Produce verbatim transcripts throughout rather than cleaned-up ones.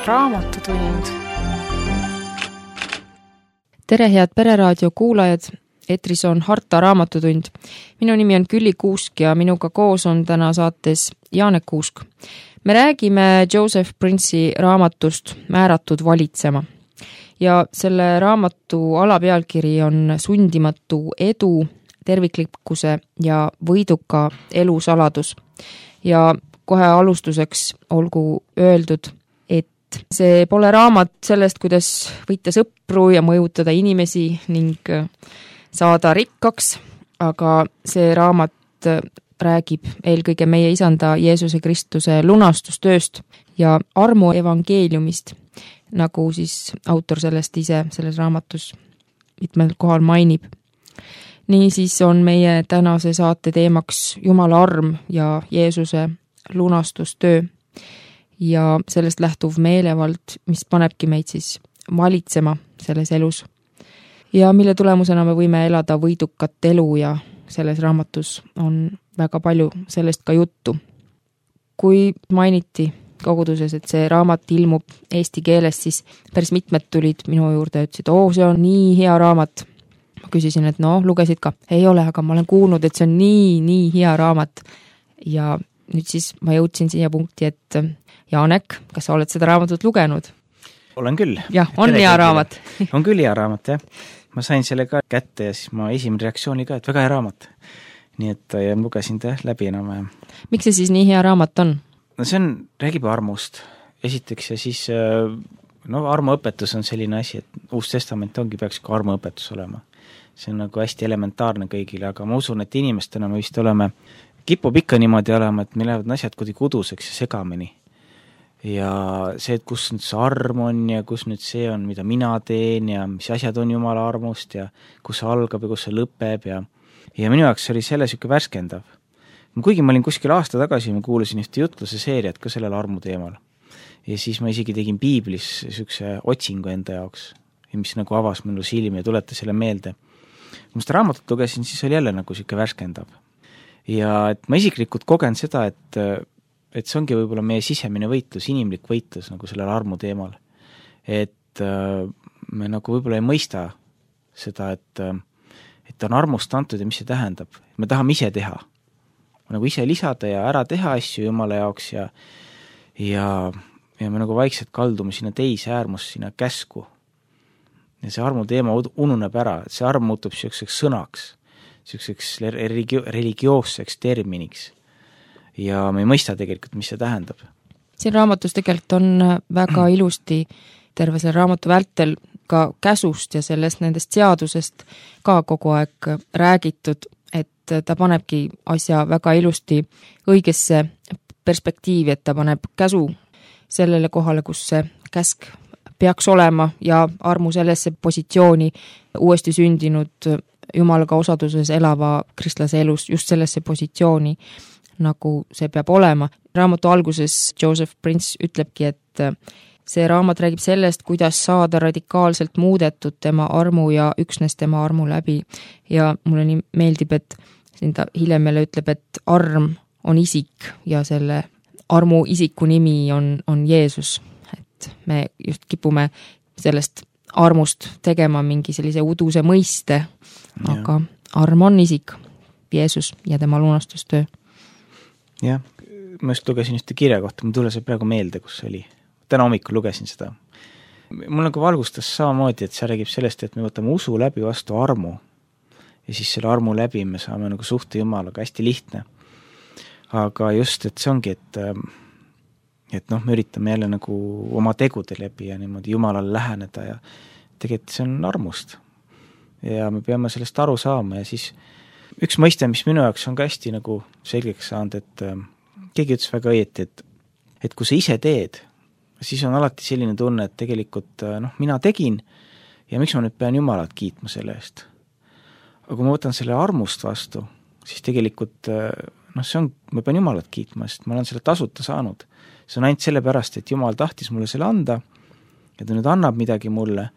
Raamatutund. Tere, head Pereraadio kuulajad! Eetris on Harta Raamatutund. Minu nimi on Külli Kuusk ja minuga koos on täna saates Janek Kuusk. Me räägime Joseph Prince'i raamatust Määratud valitsema. Ja selle raamatu alapealkiri on Sundimatu edu, terviklikkuse ja võiduka elu saladus. Ja kohe alustuseks olgu öeldud, et see pole raamat sellest, kuidas võita sõpru ja mõjutada inimesi ning saada rikkaks, aga see raamat räägib eelkõige meie isanda Jeesuse Kristuse lunastustööst ja armu evangeeliumist, nagu siis autor sellest ise selles raamatus mitmel kohal mainib. Niisiis on meie tänase saate teemaks Jumala arm ja Jeesuse lunastustöö ja sellest lähtuv meelevald, mis panebki meid siis valitsema selles elus ja mille tulemusena me võime elada võidukat elu ja selles raamatus on väga palju sellest ka juttu. Kui mainiti koguduses, et see raamat ilmub eesti keeles, siis päris mitmed tulid minu juurde ja ütlesid, oo, see on nii hea raamat. Ma küsisin, et no, lugesid ka. Ei ole, aga ma olen kuulnud, et see on nii, nii hea raamat. Ja nüüd siis ma jõudsin siia punkti, et Janek, kas sa oled seda raamatut lugenud? Olen küll. Jah, on hea raamat. On küll hea raamat, jah. Ma sain selle ka kätte ja siis ma esimene reaktsiooni ka, et väga hea raamat. Nii et ja lugesin ta läbi enam. Miks see siis nii hea raamat on? No see on, räägib armust. Esiteks ja siis, no armuõpetus on selline asi, et Uus Testament ongi, peaks ka armuõpetus olema. See on nagu hästi elementaarne kõigile, aga ma usun, et inimestena me vist oleme, kipub ikka niimoodi olema, et meil lähevad asjad kuidagi kuduseks ja segamini. Ja see, et kus nüüd see arm on ja kus nüüd see on, mida mina teen ja mis asjad on Jumala armust ja kus see algab ja kus see lõpeb ja, ja minu jaoks oli selle siuke värskendav. Kuigi ma olin kuskil aasta tagasi, ma kuulasin ühte jutluse seeriat ka sellel armu teemal. Ja siis ma isegi tegin piiblis siukse otsingu enda jaoks, mis nagu avas minu silmi ja tuletas selle meelde. Kui ma seda raamatut lugesin, siis oli jälle nagu siuke värskendav. Ja et ma isiklikult kogen seda, et et see ongi võib-olla meie sisemine võitlus, inimlik võitlus nagu sellel armu teemal. Et äh, me nagu võib-olla ei mõista seda, et, et on armust antud ja mis see tähendab. Me tahame ise teha. Nagu ise lisada ja ära teha asju Jumala jaoks ja, ja, ja me nagu vaikselt kaldume sinna teise äärmus, sinna käsku. Ja see armu teema ununeb ära, et see arm muutub selliseks sõnaks, selliseks religio- religioosseks terminiks. Ja me ei mõista tegelikult, mis see tähendab. Siin raamatus tegelikult on väga ilusti terve selle raamatu vältel ka käsust ja sellest nendest seadusest ka kogu aeg räägitud, et ta panebki asja väga ilusti õigesse perspektiivi, et ta paneb käsu sellele kohale, kus see käsk peaks olema ja armu sellesse positsiooni uuesti sündinud Jumalaga osaduses elava kristlase elus just sellesse positsiooni, nagu see peab olema. Raamatu alguses Joseph Prince ütlebki, et see raamat räägib sellest, kuidas saada radikaalselt muudetud tema armu ja üksnes tema armu läbi. Ja mulle nii meeldib, et siin ta hiljem meile ütleb, et arm on isik ja selle armu isiku nimi on, on Jeesus. Et me just kipume sellest armust tegema mingi sellise uduse mõiste, aga ja. Arm on isik, Jeesus ja tema lunastustöö. Jah, ma just lugesin ühte kirja kohta, ma tule see praegu meelde, kus oli. Täna hommikul lugesin seda. Mul nagu valgustas samamoodi, et see räägib sellest, et me võtame usu läbi vastu armu ja siis selle armu läbi me saame nagu suhte Jumalaga, hästi lihtne. Aga just, et see ongi, et, et noh, me üritame jälle nagu oma tegude läbi ja niimoodi Jumalale läheneda ja tegelikult see on armust. Ja me peame sellest aru saama ja siis üks mõiste, mis minu jaoks on ka hästi nagu selgeks saanud, et äh, keegi ütles väga õieti, et, et kui sa ise teed, siis on alati selline tunne, et tegelikult äh, noh, mina tegin ja miks ma nüüd pean Jumalat kiitma selle eest. Aga kui ma võtan selle armust vastu, siis tegelikult äh, noh, see on, ma pean Jumalat kiitma, sest ma olen selle tasuta saanud. See on ainult sellepärast, et Jumal tahtis mulle selle anda ja ta nüüd annab midagi mulle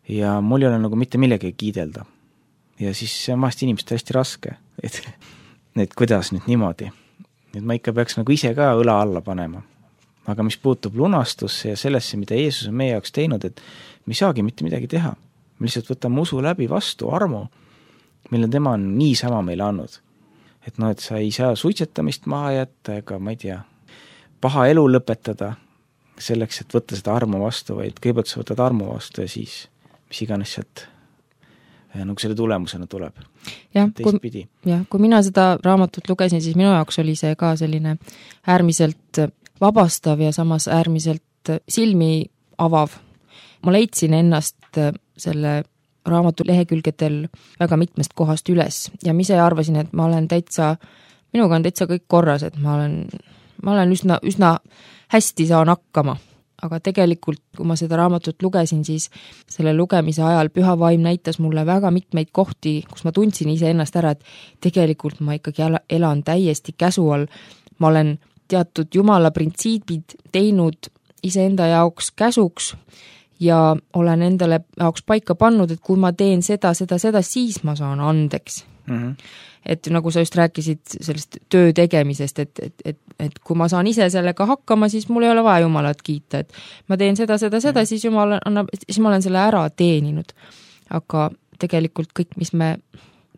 ja mul ei ole nagu mitte millegi kiidelda. Ja siis see on vahest inimestel hästi raske, et, et kuidas nüüd niimoodi. Et ma ikka peaks nagu ise ka õla alla panema. aga mis puutub lunastusse ja sellesse, mida Jeesus on meie jaoks teinud, et me ei saagi mitte midagi teha. Me lihtsalt võtame usu läbi vastu armu, mille tema on niisama meile andnud. Et noh, et sa ei saa suitsetamist maha jätta ega ma ei tea, paha elu lõpetada selleks, et võtta seda armu vastu, vaid kõigepealt sa võtad armu vastu ja siis mis iganes sealt nagu selle tulemusena tuleb. jah, kui, jah, kui mina seda raamatut lugesin, siis minu jaoks oli see ka selline äärmiselt vabastav ja samas äärmiselt silmi avav. Ma leidsin ennast selle raamatu lehekülgedel väga mitmest kohast üles ja ma ise arvasin, et ma olen täitsa, minuga on täitsa kõik korras, et ma olen, ma olen üsna, üsna hästi saan hakkama. Aga tegelikult, kui ma seda raamatut lugesin, siis selle lugemise ajal Püha Vaim näitas mulle väga mitmeid kohti, kus ma tundsin ise ennast ära, et tegelikult ma ikkagi elan täiesti käsu all. Ma olen teatud Jumala printsiibid teinud iseenda jaoks käsuks ja olen endale jaoks paika pannud, et kui ma teen seda, seda, seda, siis ma saan andeks. Mm-hmm. Et nagu sa just rääkisid sellest töö tegemisest, et, et, et, et kui ma saan ise sellega hakkama, siis mul ei ole vaja Jumalat kiita, et ma teen seda, seda, seda, siis Jumal annab, siis ma olen selle ära teeninud. Aga tegelikult kõik, mis me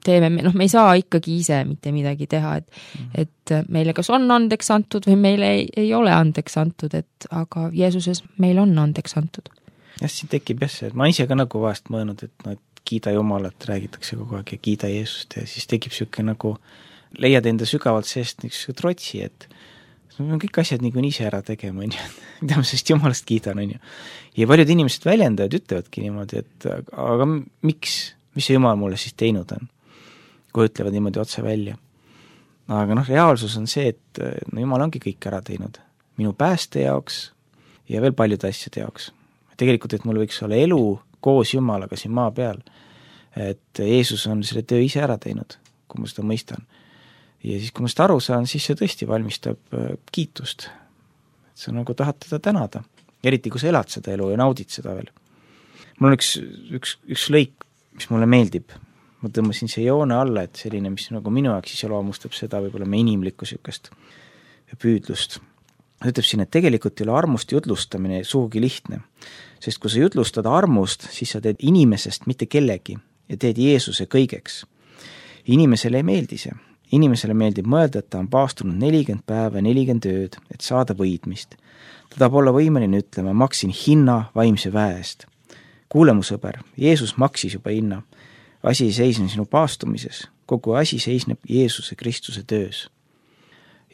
teeme, noh, me ei saa ikkagi ise mitte midagi teha, et, et meile kas on andeks antud või meile ei, ei ole andeks antud, et aga Jeesuses meil on andeks antud. jah, siin tekib jah see, et ma ise ka nagu vahest mõelnud, et no, et kiida Jumalat, räägitakse kogu aeg ja kiida Jeesust ja siis tekib siuke nagu, leiad enda sügavalt seest niisuguse trotsi, et me kõik asjad nii kui ise ära tegema, on ju, mida ma sellest Jumalast kiidan, on ju. Ja paljud inimesed väljendavad, ütlevadki niimoodi, et aga miks, mis see Jumal mulle siis teinud on, kui ütlevad niimoodi otse välja. Aga noh, reaalsus on see, et no Jumal ongi kõik ära teinud minu pääste jaoks ja veel paljude asjade jaoks. Tegelikult, et mul võiks olla elu koos Jumalaga siin maa peal, et Jeesus on selle töö ise ära teinud, kui ma seda mõistan. Ja siis, kui ma seda aru saan, siis see tõesti valmistab kiitust. Et sa nagu tahad teda tänada, eriti kui sa elad seda elu ja naudid seda veel. Mul on üks, üks, üks lõik, mis mulle meeldib. Ma tõmbasin see joone alla, et selline, mis nagu minu jaoks iseloomustab seda võib-olla me inimlikku sükest püüdlust. Ta ütleb siin, et tegelikult ei ole armust jutlustamine sugugi lihtne, sest kui sa jutlustad armust, siis sa teed inimesest mitte kellegi ja teed Jeesuse kõigeks. Inimesele ei meeldi see. Inimesele meeldib mõelda, et ta on paastunud nelikümmend päeva ja nelikümmend ööd, et saada võidmist. Ta tahab olla võimeline ütlema, maksin hinna vaimse väe eest. Kuule mu sõber, Jeesus maksis juba hinna. Asi ei seisne sinu paastumises, kogu asi seisneb Jeesuse Kristuse töös.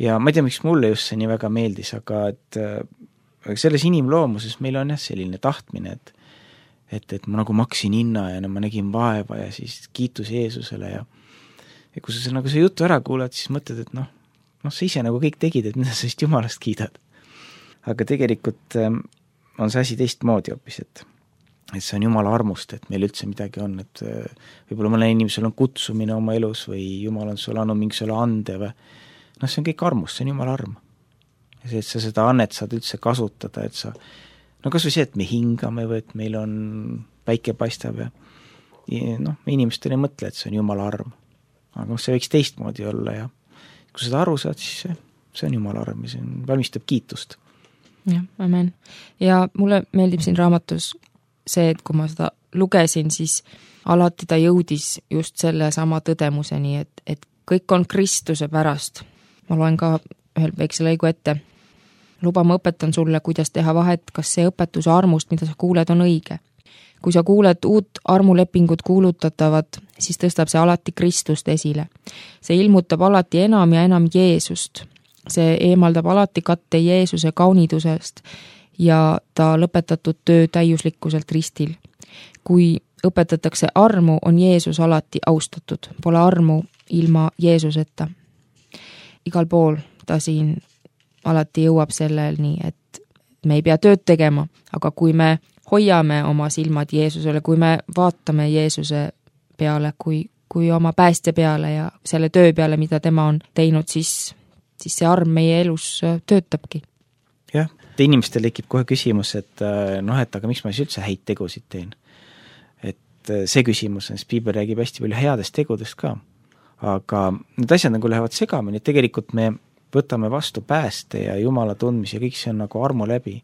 Ja ma ei tea, miks mulle just see nii väga meeldis, aga et selles inimloomuses meil on jah selline tahtmine, et, et, et ma nagu maksin hinna ja no, ma nägin vaeva ja siis kiitus Jeesusele ja, ja kui sa nagu see jutu ära kuulad, siis mõtled, et noh, noh, sa ise nagu kõik tegid, et mida sa just Jumalast kiidad. Aga tegelikult on see asi teistmoodi hoopis, et et see on Jumala armust, et meil üldse midagi on, et võib-olla mõne inimesel on kutsumine oma elus või Jumal on sulle andnud mingisugusele ande või noh, see on kõik armust, see on Jumala arm. Ja see, et sa seda annet saad üldse kasutada, et sa, no kas või see, et me hingame või et meil on päike paistab ja, ja noh, me inimestel ei mõtle, et see on Jumala arm. Aga see võiks teistmoodi olla ja kui seda aru saad, siis see, see on Jumala arm ja see on, valmistab kiitust. jah, amen. Ja mulle meeldib siin raamatus see, et kui ma seda lugesin, siis alati ta jõudis just selle sama tõdemuseni, et, et kõik on Kristuse pärast. Ma loen ka ühel väikse lõigu ette. Luba ma õpetan sulle, kuidas teha vahet, kas see õpetuse armust, mida sa kuuled, on õige. Kui sa kuuled uut armulepingut kuulutatavat, siis tõstab see alati Kristust esile. See ilmutab alati enam ja enam Jeesust. See eemaldab alati katte Jeesuse kaunidusest ja ta lõpetatud töö täiuslikkuselt ristil. Kui õpetatakse armu, on Jeesus alati austatud. Pole armu ilma Jeesuseta. Igal pool ta siin alati jõuab selleni, et me ei pea tööd tegema, aga kui me hoiame oma silmad Jeesusele, kui me vaatame Jeesuse peale, kui, kui oma päästja peale ja selle töö peale, mida tema on teinud, siis, siis see arm meie elus töötabki. Jah, inimestel tekib kohe küsimus, et noh, et aga miks ma siis üldse häid tegusid teen? Et see küsimus on, siis Piibel räägib hästi palju headest tegudest ka. Aga need asjad nagu lähevad segamini, et tegelikult me võtame vastu pääste ja Jumala tundmise ja kõik see on nagu armu läbi.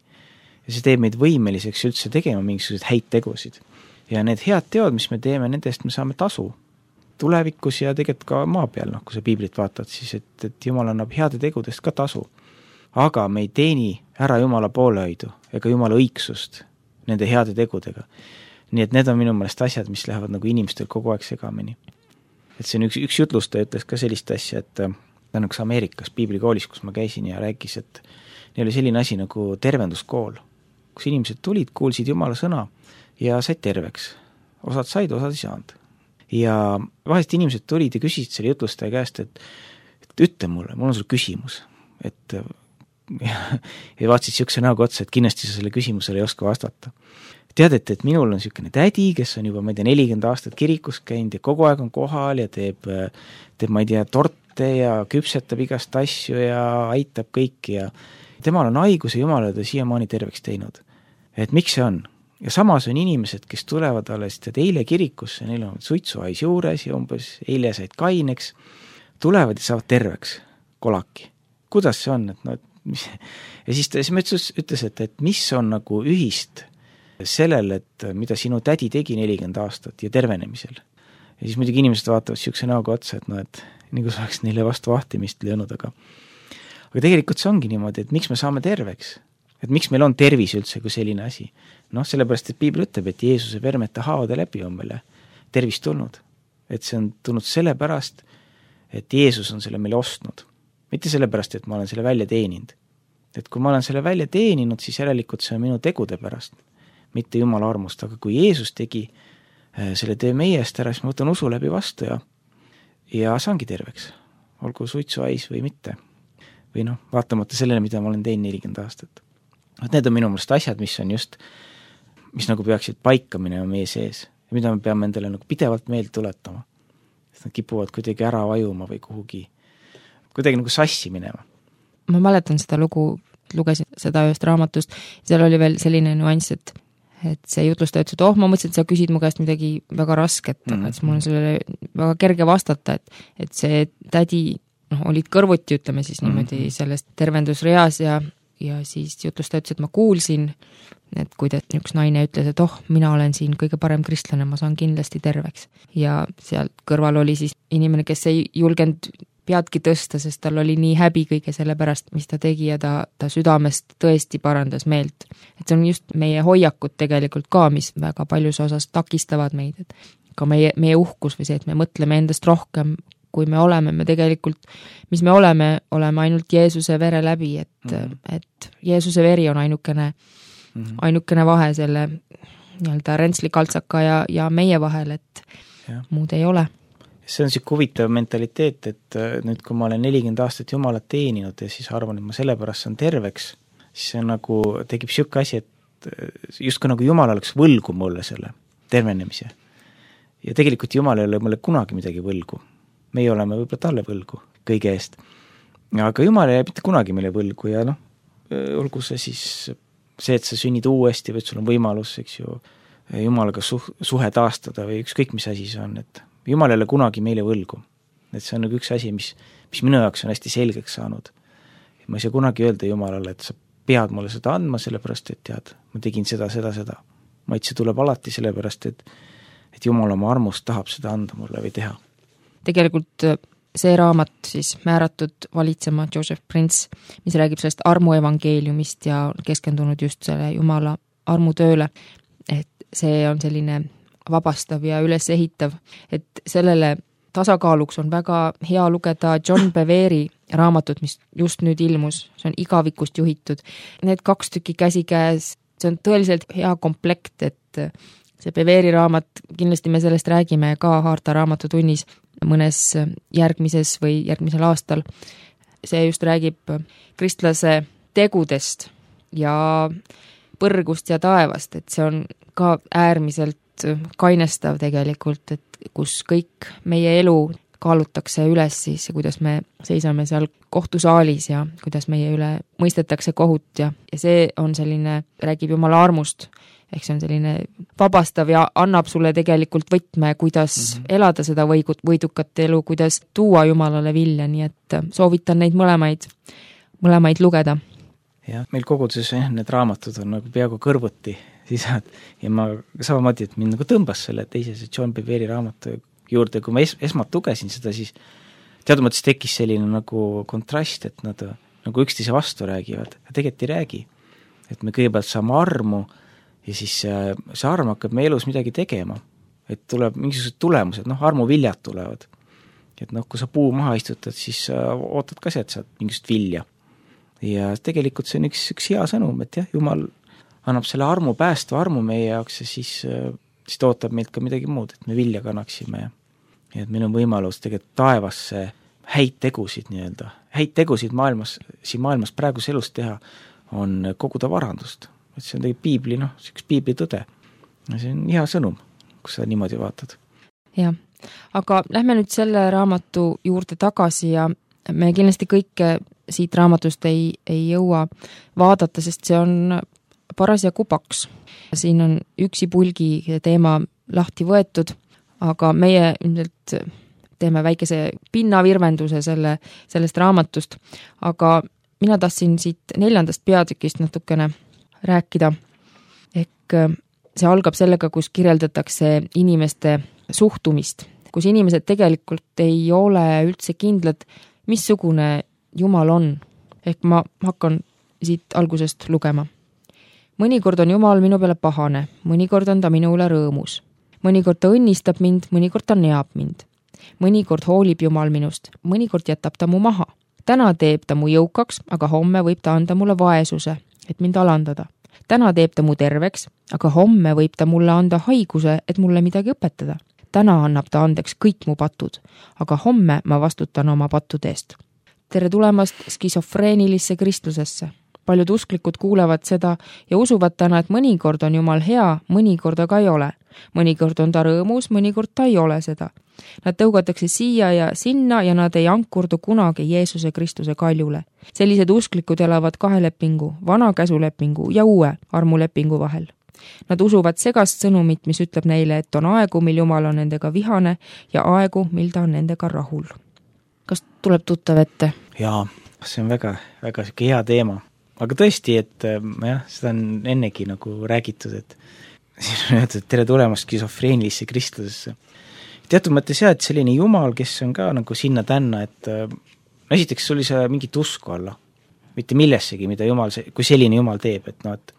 Ja see teeb meid võimeliseks üldse tegema mingisuguseid häid tegusid. Ja need head teod, mis me teeme, nendest me saame tasu tulevikus ja tegelikult ka maa peal, noh, kui sa piiblit vaatad, siis et, et Jumal annab heade tegudest ka tasu. Aga me ei teeni ära Jumala poolehoidu ega Jumala õigsust nende heade tegudega. Nii et need on minu meelest asjad, mis lähevad nagu inimestel kogu aeg segamini. Et see on üks, üks jutlustaja ütles ka sellist asja, et ta on üks Ameerikas piiblikoolis, kus ma käisin ja rääkis, et neil oli selline asi nagu tervenduskool, kus inimesed tulid, kuulsid Jumala sõna ja said terveks. Osad said, osad ei saanud. Ja vahest inimesed tulid ja küsisid selle jutlustaja käest, et, et ütle mulle, mul on sul küsimus. Et ja, ja vaatasid siukse näoga otsa, et kindlasti sa selle küsimusele ei oska vastata. Teadet, et minul on siukene tädi, kes on juba, ma ei tea, nelikümmend aastat kirikus käinud ja kogu aeg on kohal ja teeb, teeb ma ei tea, torte ja küpsetab igast asju ja aitab kõiki ja temal on haigus ja Jumal on ta siiamaani terveks teinud. Et miks see on? Ja samas on inimesed, kes tulevad alles tead eile kirikusse, neil on suitsuhais juures ja umbes eile said kaineks, tulevad ja saavad terveks kolaki. Kuidas see on? Et no, et mis, ja siis ta siis ütles, et, et mis on nagu ühist sellel, et mida sinu tädi tegi nelikümmend aastat ja tervenemisel. Ja siis muidugi inimesed vaatavad siukse näoga otsa, et no, et nagu saaks neile vastu vahtimist löönud, aga aga tegelikult see ongi niimoodi, et miks me saame terveks? Et miks meil on tervis üldse kui selline asi? Noh, sellepärast, et piibel ütleb, et Jeesuse vermete haavade läbi on meile tervis tulnud. Et see on tulnud sellepärast, et Jeesus on selle meile ostnud. Mitte sellepärast, et ma olen selle välja teeninud. Et kui ma olen selle välja teeninud, siis järelikult see on minu tegude pärast, mitte Jumala armust. Aga kui Jeesus tegi selle töö meie eest ära, siis ma võtan usu läbi vastu ja, ja saangi terveks. Olgu suitsuhais või mitte. Või noh, vaatamata sellele, mida ma olen teinud nelikümmend aastat. Need on minu mõelest asjad, mis on just, mis nagu peaksid paika minema meie sees ja mida me peame endale nagu pidevalt meelde tuletama. Sest nad kipuvad kuidagi ära vajuma või kuhugi, kuidagi nagu sassi minema. Ma mäletan seda lugu, lugesin seda ühest raamatust, seal oli veel selline nüanss, et, et see jutlustaja ütles, et oh, ma mõtlesin, et sa küsid mu käest midagi väga rasket, mm-hmm. et mul on sellele väga kerge vastata, et, et see tädi noh, olid kõrvuti, ütleme siis niimoodi mm-hmm. sellest tervendusreas ja ja siis jutlustaja ütles, et ma kuulsin, et kui üks naine ütles, et oh, mina olen siin kõige parem kristlane, ma saan kindlasti terveks. Ja sealt kõrval oli siis inimene, kes ei julgenud peadki tõsta, sest tal oli nii häbi kõige selle pärast, mis ta tegi ja ta, ta südamest tõesti parandas meelt. Et see on just meie hoiakud tegelikult ka, mis väga paljus osas takistavad meid, et ka meie, meie uhkus või see, et me mõtleme endast rohkem, kui me oleme, me tegelikult, mis me oleme, oleme ainult Jeesuse vere läbi, et, mm-hmm. et Jeesuse veri on ainukene, mm-hmm. ainukene vahe selle nii-öelda rentslikaltsaka ja, ja meie vahel, et ja. Muud ei ole. See on siuke huvitav mentaliteet, et nüüd, kui ma olen nelikümmend aastat Jumalat teeninud ja siis arvan, et ma sellepärast saan terveks, siis see nagu tekib siuke asi, et justkui nagu Jumal oleks võlgu mulle selle tervenemise. Ja tegelikult Jumal ei ole mulle kunagi midagi võlgu. Meie oleme võib-olla talle võlgu kõige eest. Aga Jumal ei jää mitte kunagi meile võlgu ja noh, olgu see siis see, et sa sünnid uuesti või et sul on võimalus, eks ju, Jumalaga suh- suhe taastada või ükskõik mis asi see on, et Jumal ei ole kunagi meile võlgu. Et see on nagu üks asi, mis, mis minu jaoks on hästi selgeks saanud. Ma ei saa kunagi öelda Jumalale, et sa pead mulle seda andma, sellepärast, et tead, ma tegin seda, seda, seda. Vaid see tuleb alati sellepärast, et, et Jumal oma armust tahab seda anda mulle või teha. Tegelikult see raamat siis määratud valitsema Joseph Prince, mis räägib sellest armu evangeeliumist ja keskendunud just selle Jumala armutööle, et see on selline vabastav ja üles ehitav, et sellele tasakaaluks on väga hea lugeda John Beveri raamatut, mis just nüüd ilmus, see on igavikust juhitud. Need kaks tükki käsikäes, see on tõeliselt hea komplekt, et see Beveri raamat, kindlasti me sellest räägime ka Harta raamatutunnis mõnes järgmises või järgmisel aastal. See just räägib kristlase tegudest ja põrgust ja taevast, et see on ka äärmiselt kainestav tegelikult, et kus kõik meie elu kaalutakse üles siis ja kuidas me seisame seal kohtusaalis ja kuidas meie üle mõistetakse kohut ja, ja see on selline, räägib Jumala armust, ehk see on selline vabastav ja annab sulle tegelikult võtme, kuidas mm-hmm. elada seda võigut, võidukat elu, kuidas tuua Jumalale vilja, nii et soovitan neid mõlemaid, mõlemaid lugeda. Jah, meil koguduses need raamatud on nagu peaaegu kõrvuti sisad ja ma samamoodi, et mind nagu tõmbas selle teise see John Bevere raamatu juurde, kui ma es, esmalt lugesin seda, siis teatud mõttes tekkis selline nagu kontrast, et nad nagu üksteise vastu räägivad, ja tegelikult ei räägi. Et me kõigepealt saame armu ja siis see arm hakkab meie elus midagi tegema. Et tuleb mingisugused tulemused, noh, armuviljad tulevad. Et noh, kui sa puu maha istutad, siis ootad ka sealt saad mingisugust vilja. Ja tegelikult see on üks, üks hea sõnum, et jah, Jumal annab selle armu päästva armu meie jaoks ja siis, siis ta ootab meilt ka midagi muud, et me vilja kannaksime. Ja et meil on võimalus tegelikult taevasse häid tegusid nii-öelda, häid tegusid maailmas, siin maailmas praeguse elus teha, on koguda varandust. Et see on tegelikult piibli, noh, see üks piibli tõde. Ja see on hea sõnum, kus sa niimoodi vaatad. Jah, aga lähme nüüd selle raamatu juurde tagasi ja me kindlasti kõike siit raamatust ei, ei jõua vaadata, sest see on parasjagu paks. Siin on üksi pulgi teema lahti võetud, aga meie ilmselt teeme väikese pinnavirvenduse selle, sellest raamatust, aga mina tahtsin siit neljandast peatükist natukene rääkida. Ehk see algab sellega, kus kirjeldatakse inimeste suhtumist, kus inimesed tegelikult ei ole üldse kindlad, missugune Jumal on. Ehk ma hakkan siit algusest lugema. Mõnikord on Jumal minu peale pahane, mõnikord on ta minu üle rõõmus. Mõnikord ta õnnistab mind, mõnikord ta neab mind. Mõnikord hoolib Jumal minust, mõnikord jätab ta mu maha. Täna teeb ta mu jõukaks, aga homme võib ta anda mulle vaesuse, et mind alandada. Täna teeb ta mu terveks, aga homme võib ta mulle anda haiguse, et mulle midagi õpetada. Täna annab ta andeks kõik mu patud, aga homme ma vastutan oma pattude eest. Tere tulemast skisofreenilisse kristlusesse. Paljud usklikud kuulevad seda ja usuvad täna, et mõnikord on Jumal hea, mõnikord aga ei ole. Mõnikord on ta rõõmus, mõnikord ta ei ole seda. Nad tõugatakse siia ja sinna ja nad ei ankurdu kunagi Jeesuse Kristuse kaljule. Sellised usklikud elavad kahe lepingu, vana käsulepingu ja uue armulepingu vahel. Nad usuvad segast sõnumit, mis ütleb neile, et on aegu, mil Jumal on nendega vihane ja aegu, mil ta on nendega rahul. Kas tuleb tuttav ette? Jaa, see on väga, väga hea teema. Aga tõesti, et jah, seda on ennegi nagu räägitud, et siin on öeldud, tere tulemast skisofreenilisse kristlusesse. Teatud mõttes jah, et selline Jumal, kes on ka nagu sinna tänna, et no esiteks oli see mingit usku alla, mitte millessegi, mida Jumal, kui selline Jumal teeb, et no, et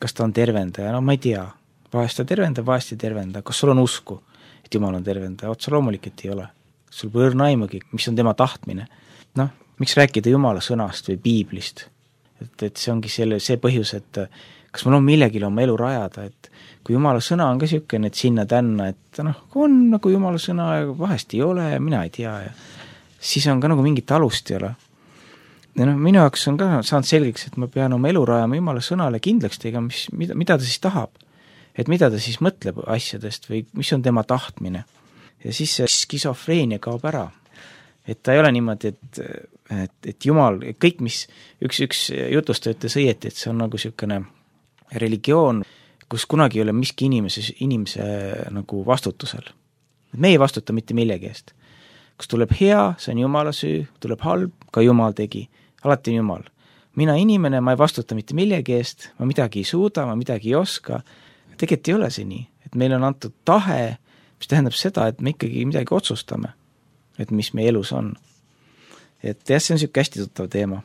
kas ta on tervendaja, no ma ei tea, vahest ta tervenda, vahest ei tervenda, kas sul on usku, et Jumal on tervendaja, otsa loomulik, et ei ole. Sul põõrna aimugi, mis on tema tahtmine. Noh, miks rääkida Jumala sõnast või piiblist? Et, et see ongi selle, see põhjus, et kas mul on millegile oma elu rajada, et kui Jumala sõna on ka niisugune, et sinna tänna, et noh, kui on nagu Jumala sõna ja vahest ei ole ja mina ei tea ja siis on ka nagu mingit alust ei ole. Ja noh, minu jaoks on ka saanud selgeks, et ma pean oma elu rajama Jumala sõnale kindlaks tegema, mis, mida, mida ta siis tahab. Et mida ta siis mõtleb asjadest või mis on tema tahtmine. Ja siis see skisofreenia kaob ära. Et ta ei ole niimoodi, et, et, et Jumal, kõik mis üks, üks jutust ütles õieti, et see on nagu niisugune religioon, kus kunagi ei ole miski inimese, inimese nagu vastutusel. Me ei vastuta mitte millegi eest. Kus tuleb hea, see on Jumala süü, tuleb halb, ka Jumal tegi. Alati on Jumal. Mina inimene, ma ei vastuta mitte millegi eest, ma midagi ei suuda, ma midagi ei oska. Tegelikult ei ole see nii, et meil on antud tahe, mis tähendab seda, et me ikkagi midagi otsustame, et mis meie elus on. Et jah, see on niisugune hästi tuttav teema.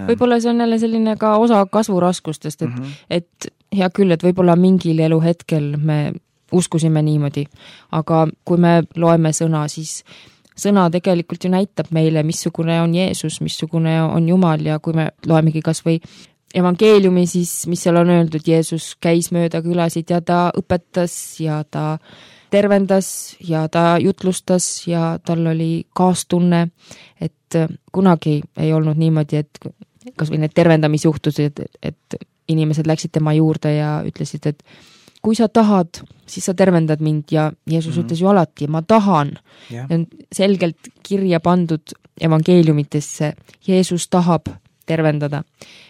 Võib-olla see on jälle selline ka osa kasvuraskustest, et, mm-hmm. et hea küll, et võib-olla mingil eluhetkel me uskusime niimoodi, aga kui me loeme sõna, siis sõna tegelikult ju näitab meile, missugune on Jeesus, missugune on Jumal ja kui me loemegi kas või evangeeliumi, siis mis seal on öeldud, Jeesus käis mööda külasid ja ta õpetas ja ta tervendas ja ta jutlustas ja tal oli kaastunne, et kunagi ei olnud niimoodi, et kas või need tervendamisjuhtused, et inimesed läksid tema juurde ja ütlesid, et kui sa tahad, siis sa tervendad mind ja Jeesus mm-hmm. ütles ju alati, ma tahan. Yeah. On selgelt kirja pandud evangeeliumitesse, Jeesus tahab tervendada.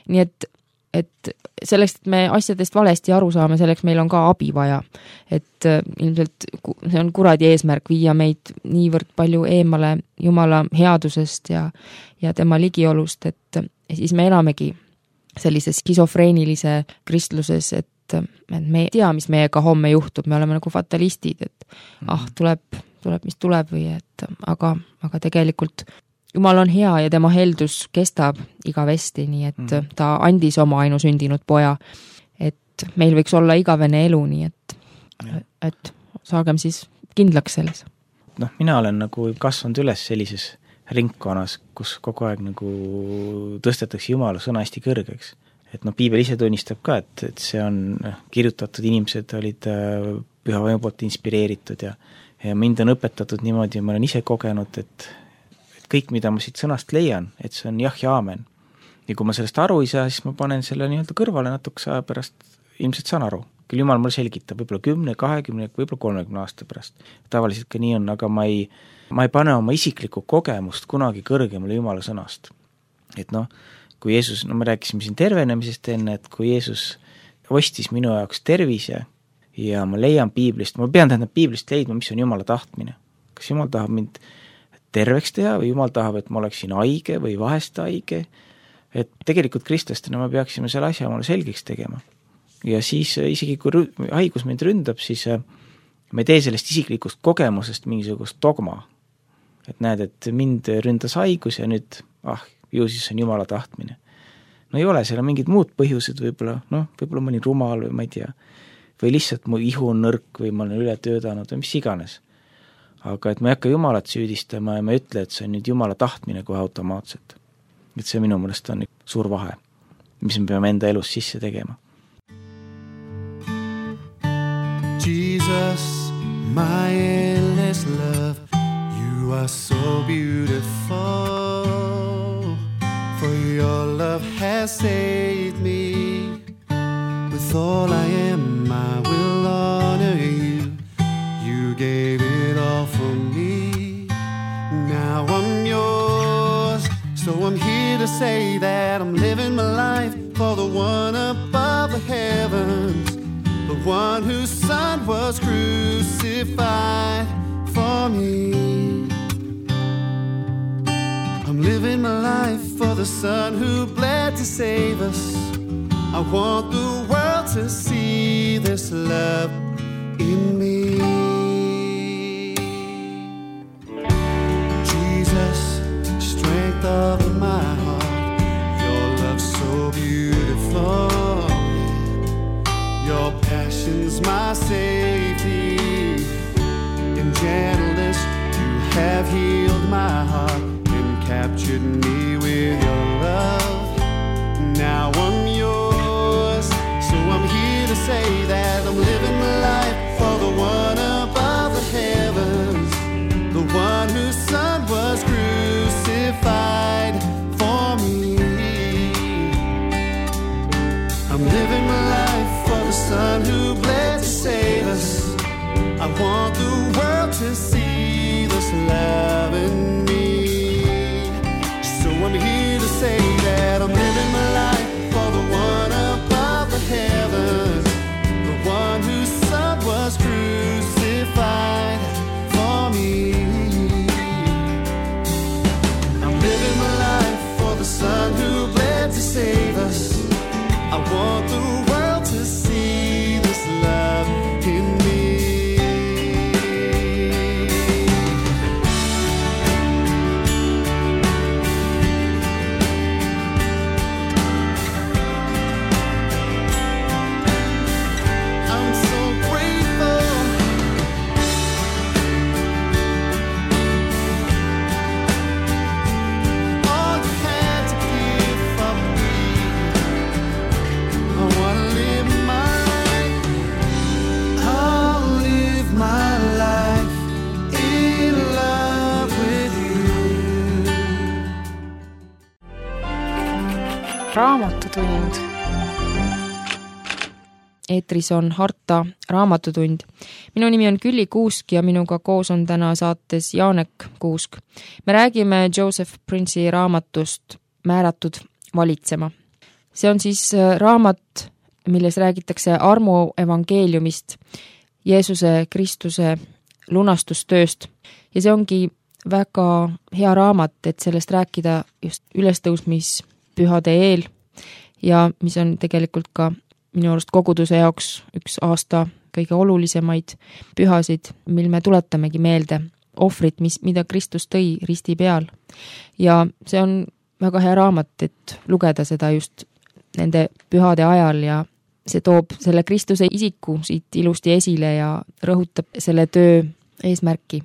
Nii et, et selleks, et me asjadest valesti aru saame, selleks meil on ka abi vaja. Et ilmselt see on kuradi eesmärk viia meid niivõrd palju eemale Jumala headusest ja, ja tema ligiolust, et siis me elamegi sellises skisofreenilise kristluses, et, et me ei tea, mis meiega homme juhtub, me oleme nagu fatalistid, et mm-hmm. ah, tuleb, tuleb, mis tuleb või et aga, aga tegelikult Jumal on hea ja tema heldus kestab igavesti, nii et mm. ta andis oma ainusündinud poja, et meil võiks olla igavene elu, nii et, et saagem siis kindlaks selles. Noh, mina olen nagu kasvanud üles sellises ringkonnas, kus kogu aeg nagu tõstetakse Jumala sõna hästi kõrgeks. Et noh, piibel ise tunnistab ka, et, et see on kirjutatud, inimesed olid püha vaimu poolt inspireeritud ja, ja mind on õpetatud niimoodi ja ma olen ise kogenud, et kõik, mida ma siit sõnast leian, et see on jah ja aamen. Ja kui ma sellest aru ei saa, siis ma panen selle nii-öelda kõrvale natukese aja pärast, ilmselt saan aru. Küll Jumal mulle selgitab, võib-olla kümne, kahekümne, võib-olla kolmekümne aasta pärast. Tavaliselt ka nii on, aga ma ei, ma ei pane oma isiklikku kogemust kunagi kõrgemale Jumala sõnast. Et noh, kui Jeesus, no me rääkisime siin tervenemisest enne, et kui Jeesus ostis minu jaoks tervise ja ma leian piiblist, ma pean tähendab piiblist leidma, mis on Jumala tahtmine. Kas Jumal tahab mind terveks teha või Jumal tahab, et ma oleksin haige või vahest haige, et tegelikult kristlastena me peaksime selle asja omale selgeks tegema. Ja siis isegi kui haigus mind ründab, siis me tee sellest isiklikust kogemusest mingisugust dogma. Et näed, et mind ründas haigus ja nüüd, ah, ju siis on Jumala tahtmine. No ei ole, seal on mingid muud põhjused võib-olla, noh, võib-olla ma olin rumal või ma ei tea, või lihtsalt mu ihu on nõrk või ma olen üle töödanud või mis iganes. Aga et ma ei hakka Jumalat süüdistama ja ma ei ütle, et see on nüüd Jumala tahtmine kohe automaatselt. Et see minu mõelest on suur vahe, mis me peame enda elus sisse tegema. Jesus, my endless love, you are so beautiful, for your love has saved me. With all I am, I will honor you. You gave it all for me. Now I'm yours, so I'm here to say that I'm living my life for the one above the heavens, the one whose son was crucified for me. I'm living my life for the son who bled to save us. I want the world to see this love in me. Jesus, strength of my heart, your love so beautiful, your passion's my safety. In gentleness you have healed my heart and captured me with your love. Now I'm yours, so I'm here to say that I'm living my life for the one above the heavens, the one whose son was crucified for me. I'm living my life for the son who bled to save us. I want the world to see this love in me. So I'm here to say that I'm living my life for the one above the heavens, the one whose son was crucified for me. I'm living my life for the son who bled to save us. I want the world to see this love in me. Raamatutund. Eetris on Harta raamatutund. Minu nimi on Külli Kuusk ja minuga koos on täna saates Jaanek Kuusk. Me räägime Joseph Prince'i raamatust Määratud valitsema. see on siis raamat, milles räägitakse armu evangeeliumist, Jeesuse Kristuse lunastustööst ja see ongi väga hea raamat, et sellest rääkida just ülestõusmispühade eel ja mis on tegelikult ka minu arust koguduse jaoks üks aasta kõige olulisemaid pühasid, mil me tuletamegi meelde ohvrit, mis, mida Kristus tõi risti peal. Ja see on väga hea raamat, et lugeda seda just nende pühade ajal ja see toob selle Kristuse isiku siit ilusti esile ja rõhutab selle töö eesmärki.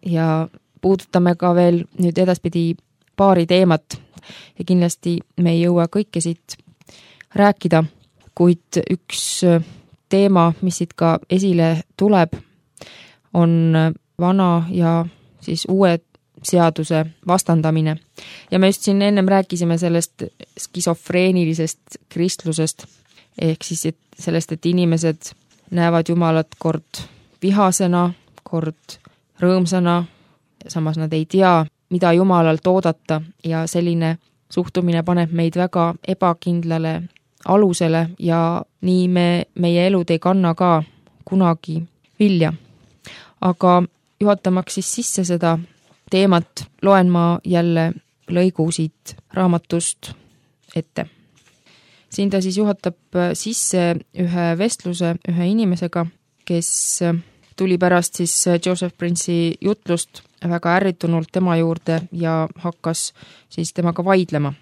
Ja puudutame ka veel nüüd edaspidi paari teemat ja kindlasti me ei jõua kõike siit rääkida, kuid üks teema, mis siit ka esile tuleb, on vana ja siis uue seaduse vastandamine. Ja me just siin ennem rääkisime sellest skisofreenilisest kristlusest, ehk siis et sellest, et inimesed näevad Jumalat kord vihasena, kord rõõmsana, samas nad ei tea, mida Jumalalt oodata ja selline suhtumine paneb meid väga ebakindlale alusele ja nii me, meie elud ei kanna ka kunagi vilja. Aga juhatamaks siis sisse seda teemat, loen ma jälle lõigu siit raamatust ette. Siin ta siis juhatab sisse ühe vestluse ühe inimesega, kes tuli pärast siis Joseph Prince'i jutlust väga ärritunult tema juurde ja hakkas siis temaga vaidlema.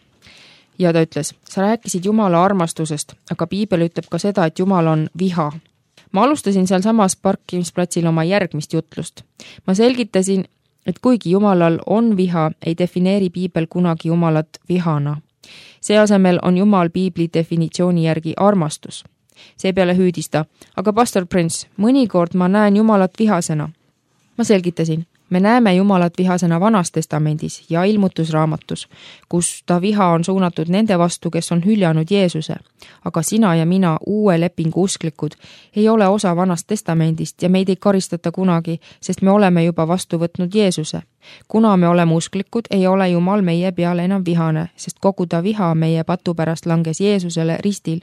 Ja ta ütles, sa rääkisid Jumala armastusest, aga Piibel ütleb ka seda, et Jumal on viha. Ma alustasin seal samas parkimisplatsil oma järgmist jutlust. Ma selgitasin, et kuigi Jumalal on viha, ei defineeri Piibel kunagi Jumalat vihana. See asemel on Jumal Piibli definitsiooni järgi armastus. Seepeale hüüdista, aga pastor Prince, mõnikord ma näen Jumalat vihasena. Ma selgitasin, me näeme Jumalat vihasena Vanas testamendis ja ilmutusraamatus, kus ta viha on suunatud nende vastu, kes on hüljanud Jeesuse. Aga sina ja mina, uue lepingu usklikud, ei ole osa Vanast testamendist ja meid ei karistata kunagi, sest me oleme juba vastu võtnud Jeesuse. Kuna me oleme usklikud, ei ole Jumal meie peale enam vihane, sest kogu ta viha meie patu pärast langes Jeesusele ristil.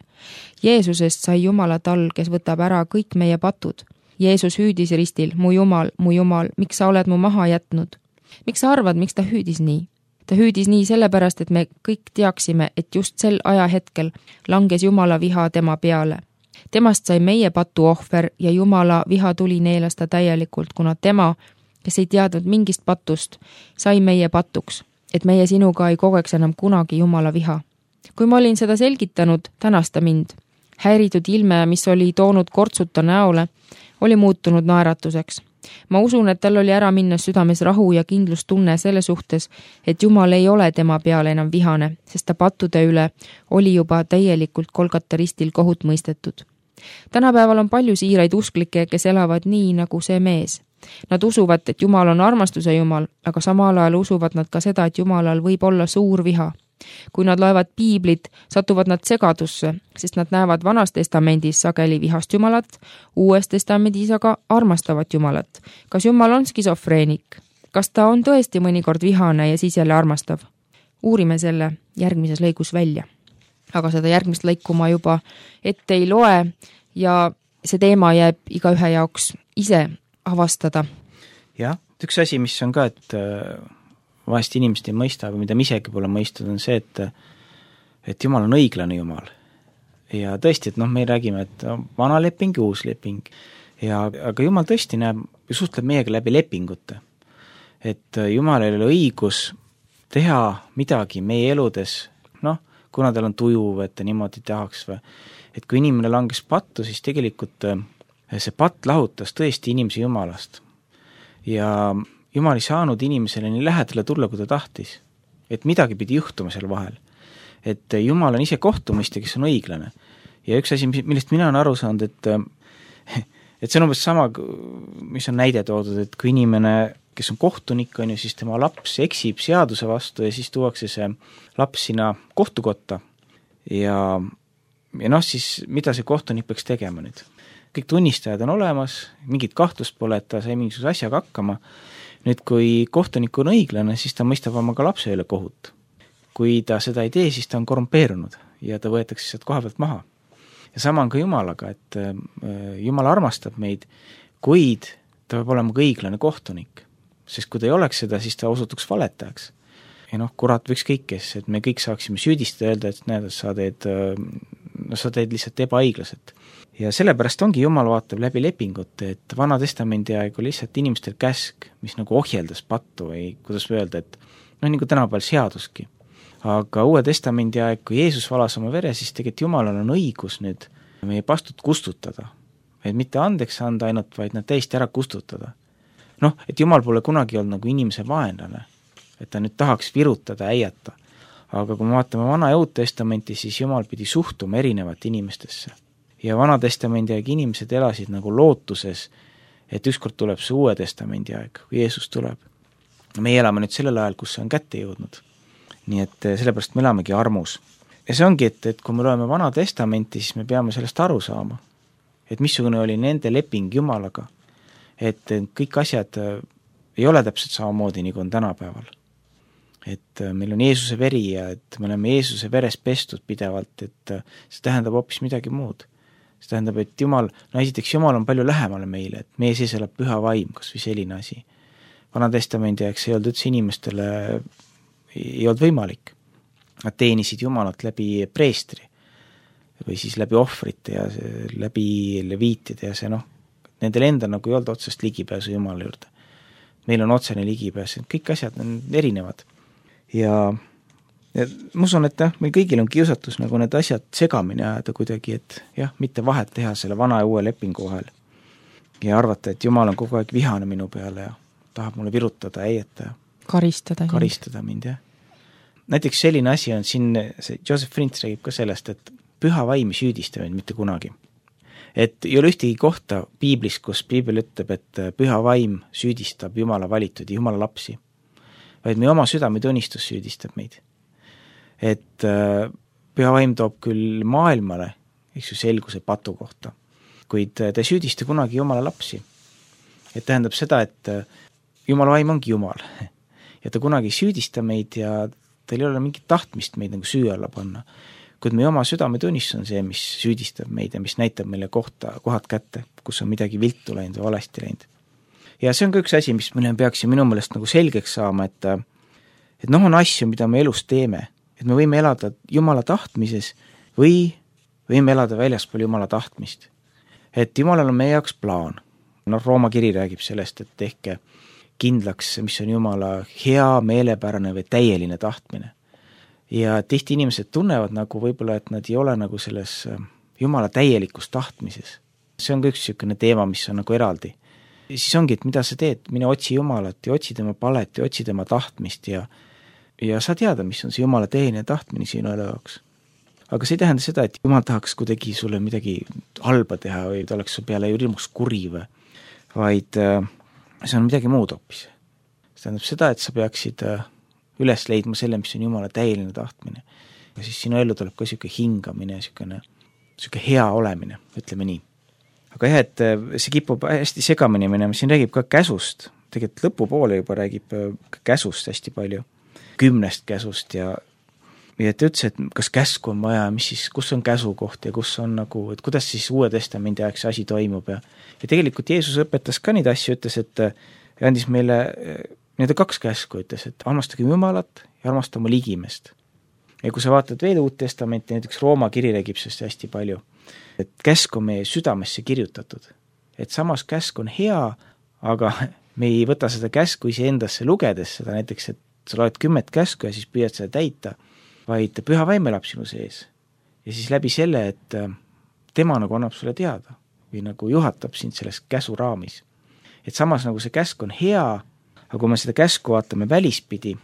Jeesusest sai Jumala tal, kes võtab ära kõik meie patud. Jeesus hüüdis ristil, mu Jumal, mu Jumal, miks sa oled mu maha jätnud? Miks sa arvad, miks ta hüüdis nii? Ta hüüdis nii sellepärast, et me kõik teaksime, et just sel ajahetkel langes Jumala viha tema peale. Temast sai meie patu ohver ja Jumala viha tuli neelasta täielikult, kuna tema, kes ei teadnud mingist patust, sai meie patuks, et meie sinuga ei kogeks enam kunagi Jumala viha. Kui ma olin seda selgitanud, tänas ta mind. Häiritud ilme, mis oli toonud kortsuta näole, oli muutunud naeratuseks. Ma usun, et tal oli ära minna südames rahu ja kindlustunne selle suhtes, et Jumal ei ole tema peale enam vihane, sest ta pattude üle oli juba täielikult Golgata ristil kohut mõistetud. Tänapäeval on palju siiraid usklikke, kes elavad nii nagu see mees. Nad usuvad, et Jumal on armastuse Jumal, aga samal ajal usuvad nad ka seda, et Jumalal võib olla suur viha. Kui nad loevad Piiblit, satuvad nad segadusse, sest nad näevad Vanas testamendis sageli vihast Jumalat, Uues testamendis aga armastavat Jumalat. Kas Jumal on skisofreenik? Kas ta on tõesti mõnikord vihane ja siis jälle armastav? Uurime selle järgmises lõigus välja. Aga seda järgmist lõiku ma juba ette ei loe ja see teema jääb igaühe jaoks ise avastada. Jah, üks asi, mis on ka, et vahest inimesed ei mõista, aga mida me isegi pole mõistnud, on see, et et Jumal on õiglane Jumal. Ja tõesti, et noh, me räägime, et vana leping ja uus leping. Ja, aga Jumal tõesti näeb, suhtleb meiega läbi lepingute. Et Jumal ei ole õigus teha midagi meie eludes, noh, kuna tal on tuju, et ta niimoodi tahaks või. Et kui inimene langes pattu, siis tegelikult see patt lahutas tõesti inimese Jumalast. Ja Jumal ei saanud inimesele nii lähedale tulla, kui ta tahtis. Et midagi pidi juhtuma seal vahel. Et Jumal on ise kohtumõistja, kes on õiglane. Ja üks asi, millest mina on aru saanud, et, et see on umbes sama, mis on näide toodud, et kui inimene, kes on kohtunik, on ju, siis tema laps eksib seaduse vastu ja siis tuuakse see laps sinna kohtukotta. Ja, ja noh, siis mida see kohtunik peaks tegema nüüd? Kõik tunnistajad on olemas, mingit kahtlust pole, et ta sai mingisuguse asjaga hakkama. Nüüd, kui kohtunik on õiglane, siis ta mõistab oma ka lapse üle kohut. Kui ta seda ei tee, siis ta on korrumpeerunud ja ta võetakse sealt koha pealt maha. Ja sama on ka Jumalaga, et Jumal armastab meid, kuid ta peab olema ka õiglane kohtunik. Sest kui ta ei oleks seda, siis ta osutuks valetajaks. Ja noh, kurat võiks kõik, kes, et me kõik saaksime süüdistada, öelda, et näed, sa teed, no, sa teed lihtsalt ebaõiglaselt. Ja sellepärast ongi Jumal vaatab läbi lepingut, et Vana Testamendi aeg oli lihtsalt inimestel käsk, mis nagu ohjeldas pattu või kuidas öelda, et noh, nagu tänapäeval seaduski. Aga Uue Testamendi aeg, kui Jeesus valas oma vere, siis tegelikult Jumalal on õigus nüüd meie pastud kustutada. Et mitte andeks anda ainult, vaid nad täiesti ära kustutada. Noh, et Jumal pole kunagi olnud nagu inimese vaenlane, et ta nüüd tahaks virutada, äiata. Aga kui me vaatame Vana ja Uut Testamenti, siis Jumal pidi suhtuma erinevate inimestesse. Ja Vana Testamendi aeg inimesed elasid nagu lootuses, et ükskord tuleb see Uue Testamendi aeg, kui Jeesus tuleb. Me elame nüüd sellel ajal, kus see on kätte jõudnud. Nii et sellepärast me elamegi armus. Ja see ongi, et, et kui me loeme Vana Testamenti, siis me peame sellest aru saama. Et missugune oli nende leping Jumalaga. Et kõik asjad ei ole täpselt samamoodi, nagu on tänapäeval. Et meil on Jeesuse veri ja et me oleme Jeesuse veres pestud pidevalt, et see tähendab hoopis midagi muud. See tähendab, et Jumal, no esiteks Jumal on palju lähemale meile, et meie sees elab püha vaim, kas või selline asi. Vana Testamendi aeg see ei olnud üldse inimestele, ei olnud võimalik. Nad teenisid Jumalat läbi preestri või siis läbi ohvrite ja läbi leviitide ja see noh, nendel enda nagu ei olnud otsest ligipääsu Jumala juurde. Meil on otsene ligipääs, kõik asjad on erinevad. Ja, ja ma usun, et jah, meil kõigil on kiusatus nagu need asjad segamini ajada kuidagi, et jah, mitte vahet teha selle vana ja uue lepingu vahel. Ja arvata, et Jumal on kogu aeg vihane minu peale ja tahab mulle virutada, äieta ja karistada, karistada mind, jah. Näiteks selline asi on siin, see Joseph Prince räägib ka sellest, et püha vaim ei süüdista meid mitte kunagi. Et ei ole ühtegi kohta piiblis, kus piibel ütleb, et püha vaim süüdistab Jumala valitud ja Jumala lapsi, vaid meie oma südametunnistus süüdistab meid. Et püha vaim toob küll maailmale, eks ju, selguse patu kohta, kuid ta ei süüdista kunagi Jumala lapsi. Et tähendab seda, et Jumala vaim ongi Jumal ja ta kunagi ei süüdista meid ja teil ei ole mingit tahtmist meid nagu süü alla panna. Kuid meie oma südametunnistus on see, mis süüdistab meid ja mis näitab meile kohta, kohad kätte, kus on midagi viltu läinud või valesti läinud. Ja see on ka üks asi, mis me peaksime minu meelest nagu selgeks saama, et, et noh, on asju, mida me elus teeme, et me võime elada Jumala tahtmises või võime elada väljaspool Jumala tahtmist. Et Jumalal on meie jaoks plaan. No, Rooma kiri räägib sellest, et tehke kindlaks, mis on Jumala hea, meelepärane või täieline tahtmine. Ja tihti inimesed tunnevad nagu võib-olla, et nad ei ole nagu selles Jumala täielikus tahtmises. See on ka üks niisugune teema, mis on nagu eraldi. Ja siis ongi, et mida sa teed, mine otsi Jumalat ja otsi tema palet ja otsi tema tahtmist ja, ja sa teada, mis on see Jumala täieline tahtmine sinu elu jaoks. Aga see ei tähenda seda, et Jumal tahaks kuidagi sulle midagi halba teha või ta oleks su peale hirmus kuri või, vaid see on midagi muud hoopis. See tähendab seda, et sa peaksid üles leidma selle, mis on Jumala täieline tahtmine. Ja siis sinu ellu tuleb ka niisugune hingamine, niisugune, niisugune hea olemine, ütleme nii. Aga jah, et see kipub hästi segamini minema, siin räägib ka käsust, tegelikult lõpupoole juba räägib käsust hästi palju, kümnest käsust ja, ja et ütles, et kas käsku on vaja, mis siis, kus on käsu koht ja kus on nagu, et kuidas siis Uue Testamendi aeg see asi toimub ja, ja tegelikult Jeesus õpetas ka neid asju, ütles, et andis meile need kaks käsku, ütles, et armastagem Jumalat ja armastama ligimest. Ja kui sa vaatad veel Uut Testamenti, näiteks Rooma kiri räägib sellest hästi palju, et käsk on meie südamesse kirjutatud. Et samas käsk on hea, aga me ei võta seda käsku iseendasse lugedes seda näiteks, et sa loed kümmet käsku ja siis püüad seda täita, vaid püha vaim elab sinu sees. Ja siis läbi selle, et tema nagu annab sulle teada või nagu juhatab sind selles käsu raamis. Et samas nagu see käsk on hea, aga kui me seda käsku vaatame välispidi,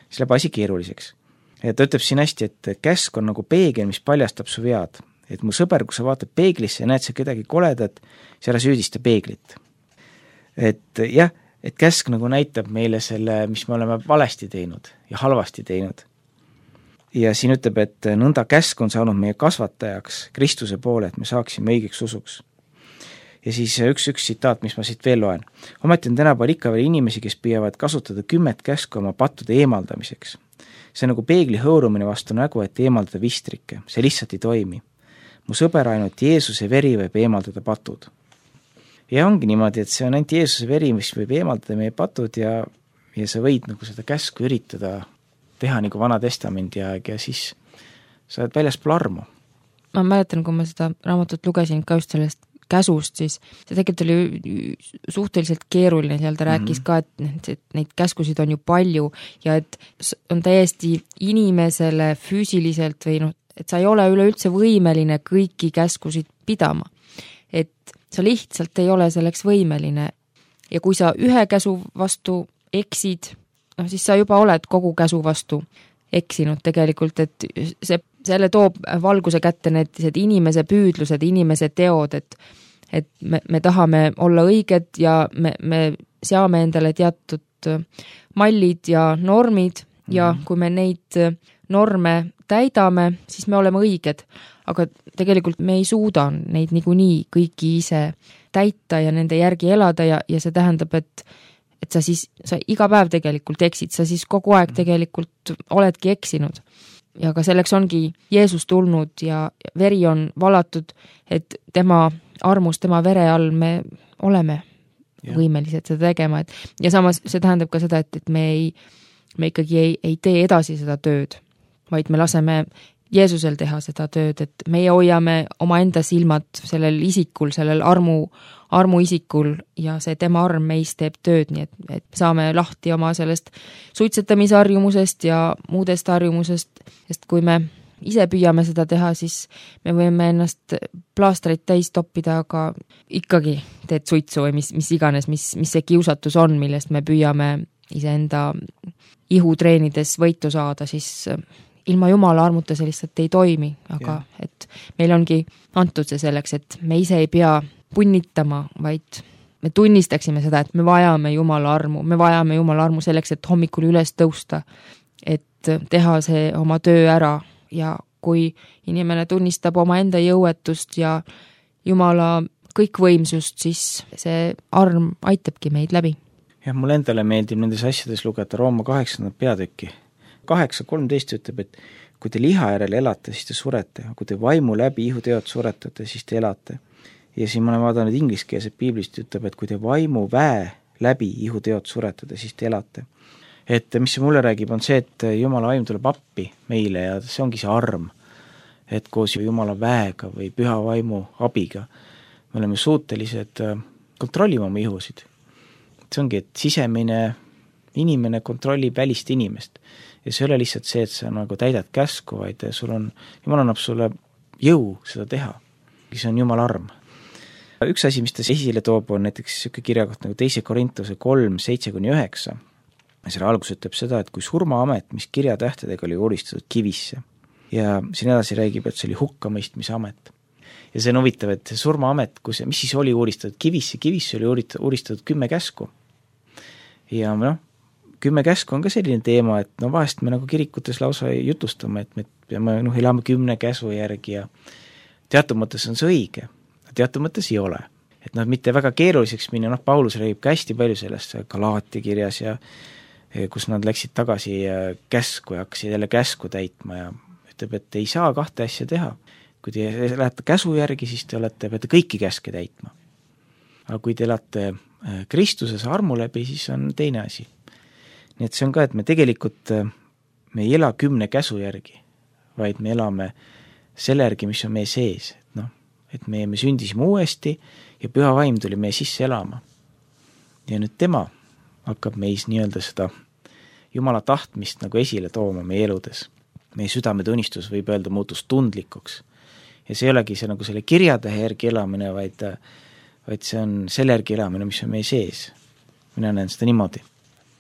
siis läheb asi keeruliseks. Ja ta ütleb siin hästi, et käsk on nagu peegel, mis paljastab su vead. Et mu sõber, kui sa vaatad peeglisse ja näed sa kedagi koledat, siis ära süüdista peeglit. Et jah, et käsk nagu näitab meile selle, mis me oleme valesti teinud ja halvasti teinud. Ja siin ütleb, et nõnda käsk on saanud meie kasvatajaks Kristuse poole, et me saaksime õigeks usuks. Ja siis üks, üks tsitaat, mis ma siit veel loen. Ometi on tänapäeval ikka veel inimesi, kes püüavad kasutada kümmet käsku oma pattude eemaldamiseks. see on nagu peegli hõõrumine vastu nägu, et eemaldada vistrikke, see lihtsalt ei toimi. mu sõber, ainult Jeesuse veri võib eemaldada patud. ja ongi niimoodi, et see on ainult Jeesuse veri, mis võib eemaldada meie patud ja, ja sa võid nagu seda käsku üritada teha nagu Vana Testamendi aeg ja siis sa oled väljaspool armu. Ma mäletan, kui ma seda raamatut lugesin ka just sellest käsust, siis see tegelikult oli suhteliselt keeruline, seal ta rääkis mm-hmm. ka, et, et neid käskusid on ju palju ja et on täiesti inimesele füüsiliselt või noh, et sa ei ole üleüldse võimeline kõiki käskusid pidama. Et sa lihtsalt ei ole selleks võimeline ja kui sa ühe käsu vastu eksid, noh siis sa juba oled kogu käsu vastu eksinud tegelikult, et see, selle toob valguse kätte need, need inimese püüdlused, inimese teod, et, et me, me tahame olla õiged ja me, me seame endale teatud mallid ja normid ja mm-hmm. kui me neid norme täidame, siis me oleme õiged, aga tegelikult me ei suuda neid niikuinii kõiki ise täita ja nende järgi elada ja, ja see tähendab, et et sa siis, sa iga päev tegelikult eksid, sa siis kogu aeg tegelikult oledki eksinud. Ja ka selleks ongi Jeesus tulnud ja veri on valatud, et tema armus, tema vere all me oleme ja. võimelised seda tegema. Et, ja samas see tähendab ka seda, et, et me, ei, me ikkagi ei, ei tee edasi seda tööd, vaid me laseme Jeesusel teha seda tööd, et meie hoiame oma enda silmad sellel isikul, sellel armu, armu isikul ja see tema arm meis teeb tööd, nii et, et saame lahti oma sellest suitsetamisharjumusest ja muudest harjumusest, sest kui me ise püüame seda teha, siis me võime ennast plaastreid täis toppida, aga ikkagi teed suitsu või mis, mis iganes, mis, mis see kiusatus on, millest me püüame iseenda ihutreenides võitu saada, siis ilma Jumala armuta see lihtsalt ei toimi, aga yeah. et meil ongi antud see selleks, et me ise ei pea punnitama, vaid me tunnistaksime seda, et me vajame Jumala armu, me vajame Jumala armu selleks, et hommikul üles tõusta, et teha see oma töö ära ja kui inimene tunnistab oma enda jõuetust ja Jumala kõikvõimsust, siis see arm aitabki meid läbi. jah, mul endale meeldib nendes asjades lugeda Rooma kaheksandat peatükki. kaheksa kolmteist ütleb, et kui te liha järel elate, siis te surete, kui te vaimu läbi ihuteod suretate, siis te elate. Ja siin ma olen vaadanud ingliskeelset piiblist, ütleb, et kui te vaimu väe läbi ihuteod suretate, siis te elate. Et mis see mulle räägib, on see, et Jumala vaim tuleb appi meile ja see ongi see arm, et koos Jumala väega või püha vaimu abiga me oleme suutelised kontrollima oma ihusid. See ongi, et sisemine inimene kontrollib välist inimest. Ja see ei ole lihtsalt see, et sa nagu täidad käsku, vaid sul on, Jumal annab sulle jõu seda teha. See on Jumala arm. Üks asi, mis ta esile toob, on näiteks selline kirjakoht nagu teise Korintuse kolm, seitse kuni üheksa. Selle algus ütleb seda, et kui surmaamet, mis kirjatähtedega oli uuristatud kivisse. Ja siin edasi räägib, et see oli hukkamõistmise amet. Ja see on huvitav, et see surmaamet, kus, mis siis oli uuristatud kivisse, kivisse oli uuristatud kümme käsku. Ja noh, kümme käsku on ka selline teema, et no vahest me nagu kirikutes lausa jutustame, et me peame, noh, elame kümne käsu järgi ja teatud mõttes on see õige, teatud mõttes ei ole. Et noh, mitte väga keeruliseks minna, noh, Paulus räägib ka hästi palju sellest Galaatia kirjas ja kus nad läksid tagasi käsku ja hakkasid jälle käsku täitma ja ütleb, et ei saa kahte asja teha. Kui te lähete käsu järgi, siis te olete, peate kõiki käske täitma. Aga kui te elate Kristuses armu läbi, siis on teine asi. Nii et see on ka, et me tegelikult me ei ela kümne käsu järgi, vaid me elame selle järgi, mis on meie sees. Et, no, et me, me sündisime uuesti ja püha vaim tuli meie sisse elama. Ja nüüd tema hakkab meis nii-öelda seda Jumala tahtmist nagu esile tooma meie eludes. Meie südametunnistus võib öelda muutus tundlikuks. Ja see ei olegi see nagu selle kirjatähe järgi elamine, vaid, vaid see on selle järgi elamine, mis on meie sees. Mina näen seda niimoodi.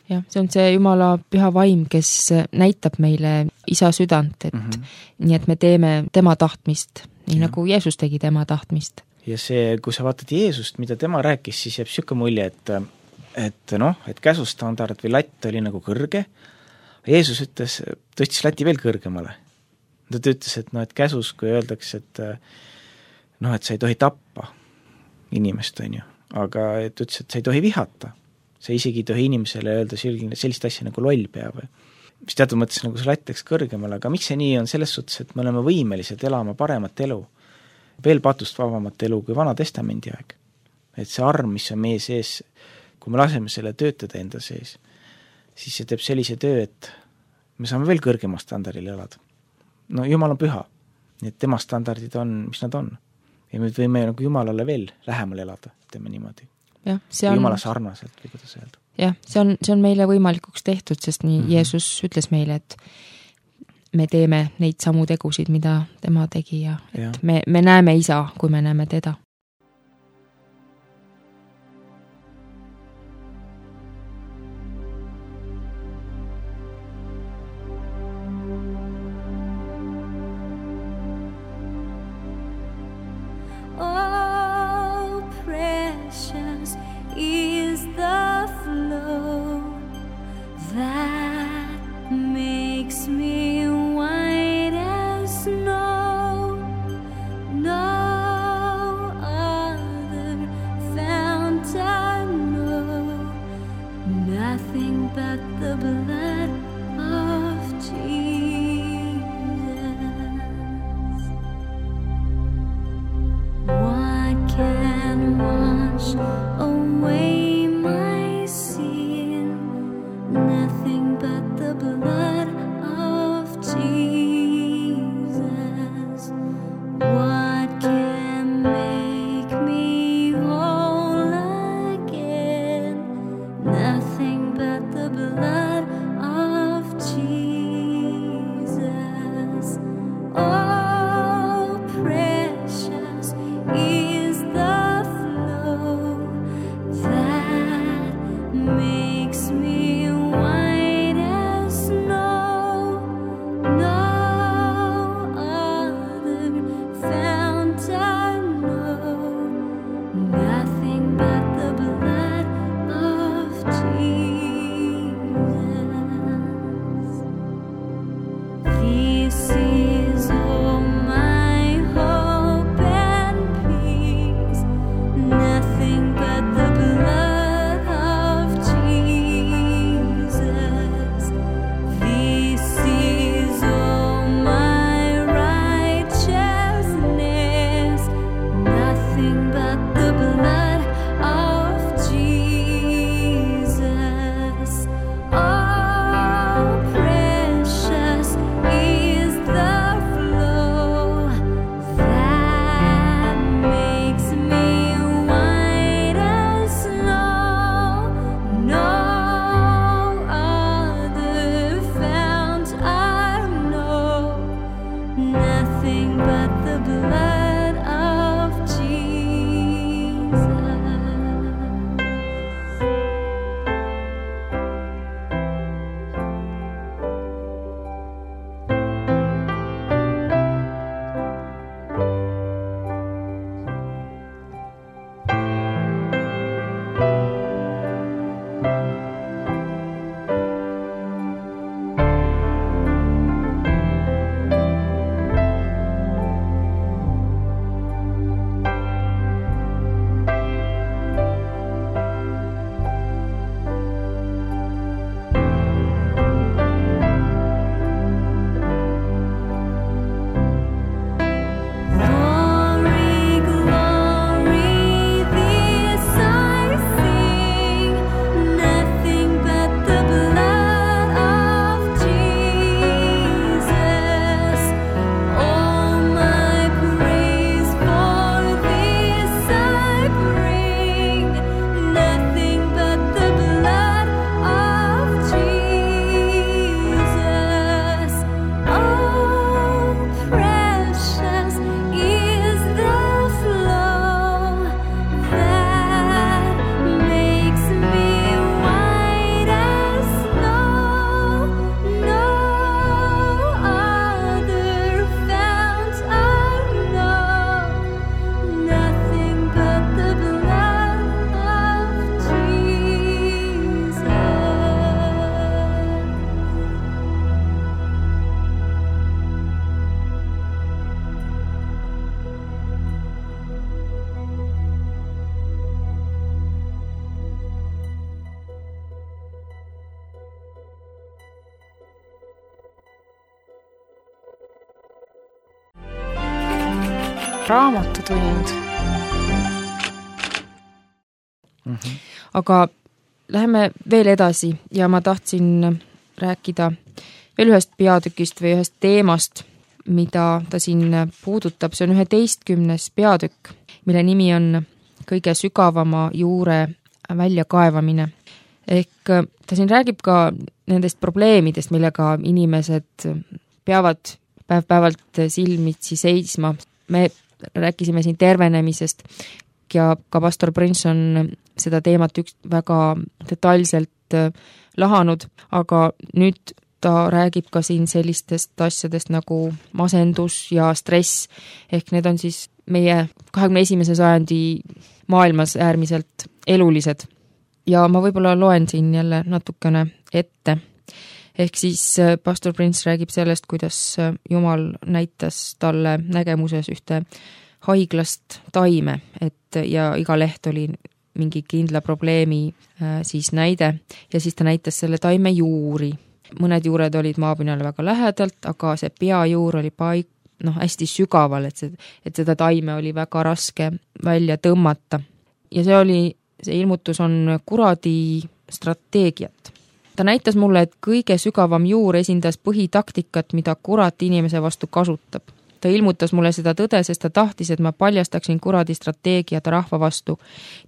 Jah, see on see Jumala püha vaim, kes näitab meile isa südant, et mm -hmm. nii et me teeme tema tahtmist, nii ja. Nagu Jeesus tegi tema tahtmist. Ja see, kui sa vaatad Jeesust, mida tema rääkis, siis jääb siuke mulje, et, et noh, et käsustandard või latt oli nagu kõrge. Jeesus ütles, tõstis lati veel kõrgemale. Ta ütles, et noh, et käsus, kui öeldakse, et noh, et sa ei tohi tappa inimest, on ju, aga et ütles, et sa ei tohi vihata. See isegi ei tohi inimesele öelda sellist asja nagu loll pea või. mis teatud mõttes nagu see latt läks kõrgemale, aga miks see nii on, selles suhtes, et me oleme võimelised elama paremat elu, veel patust vabamat elu kui Vana Testamendi aeg. Et see arm, mis on meie sees, kui me laseme selle töötada enda sees, siis see teeb sellise töö, et me saame veel kõrgema standardil elada. No Jumal on püha, nii et tema standardid on, mis nad on. Ja me võime nagu Jumalale veel lähemal elada, teeme niimoodi. jah, see on... Jumala sarnaselt, või kuidas öelda. jah, see on, see on meile võimalikuks tehtud, sest nii mm-hmm. Jeesus ütles meile, et me teeme neid samu tegusid, mida tema tegi ja et ja. Me, me näeme isa, kui me näeme teda. raamatutund. Mm-hmm. Aga läheme veel edasi ja ma tahtsin rääkida veel ühest peatükist või ühest teemast, mida ta siin puudutab. See on üheteistkümnes peatükk, mille nimi on kõige sügavama juure väljakaevamine. Ehk ta siin räägib ka nendest probleemidest, millega inimesed peavad päev-päevalt silmitsi seisma. Me rääkisime siin tervenemisest ja ka pastor Prince on seda teemat üks väga detailselt lahanud, aga nüüd ta räägib ka siin sellistest asjadest nagu masendus ja stress, ehk need on siis meie kahekümne esimese sajandi maailmas äärmiselt elulised. Ja ma võib-olla loen siin jälle natukene ette. Ehk siis pastor Prince räägib sellest, kuidas Jumal näitas talle nägemuses ühte haiglast taime, et ja iga leht oli mingi kindla probleemi siis näide ja siis ta näitas selle taime juuri. Mõned juured olid maapinnale väga lähedalt, aga see peajuur oli paik, noh, hästi sügaval, et, see, et seda taime oli väga raske välja tõmmata. Ja see oli, see ilmutus on kuradi strateegiat. Ta näitas mulle, et kõige sügavam juur esindas põhitaktikat, mida kurat inimese vastu kasutab. Ta ilmutas mulle seda tõde, sest ta tahtis, et ma paljastaksin kuradi strateegiat rahva vastu,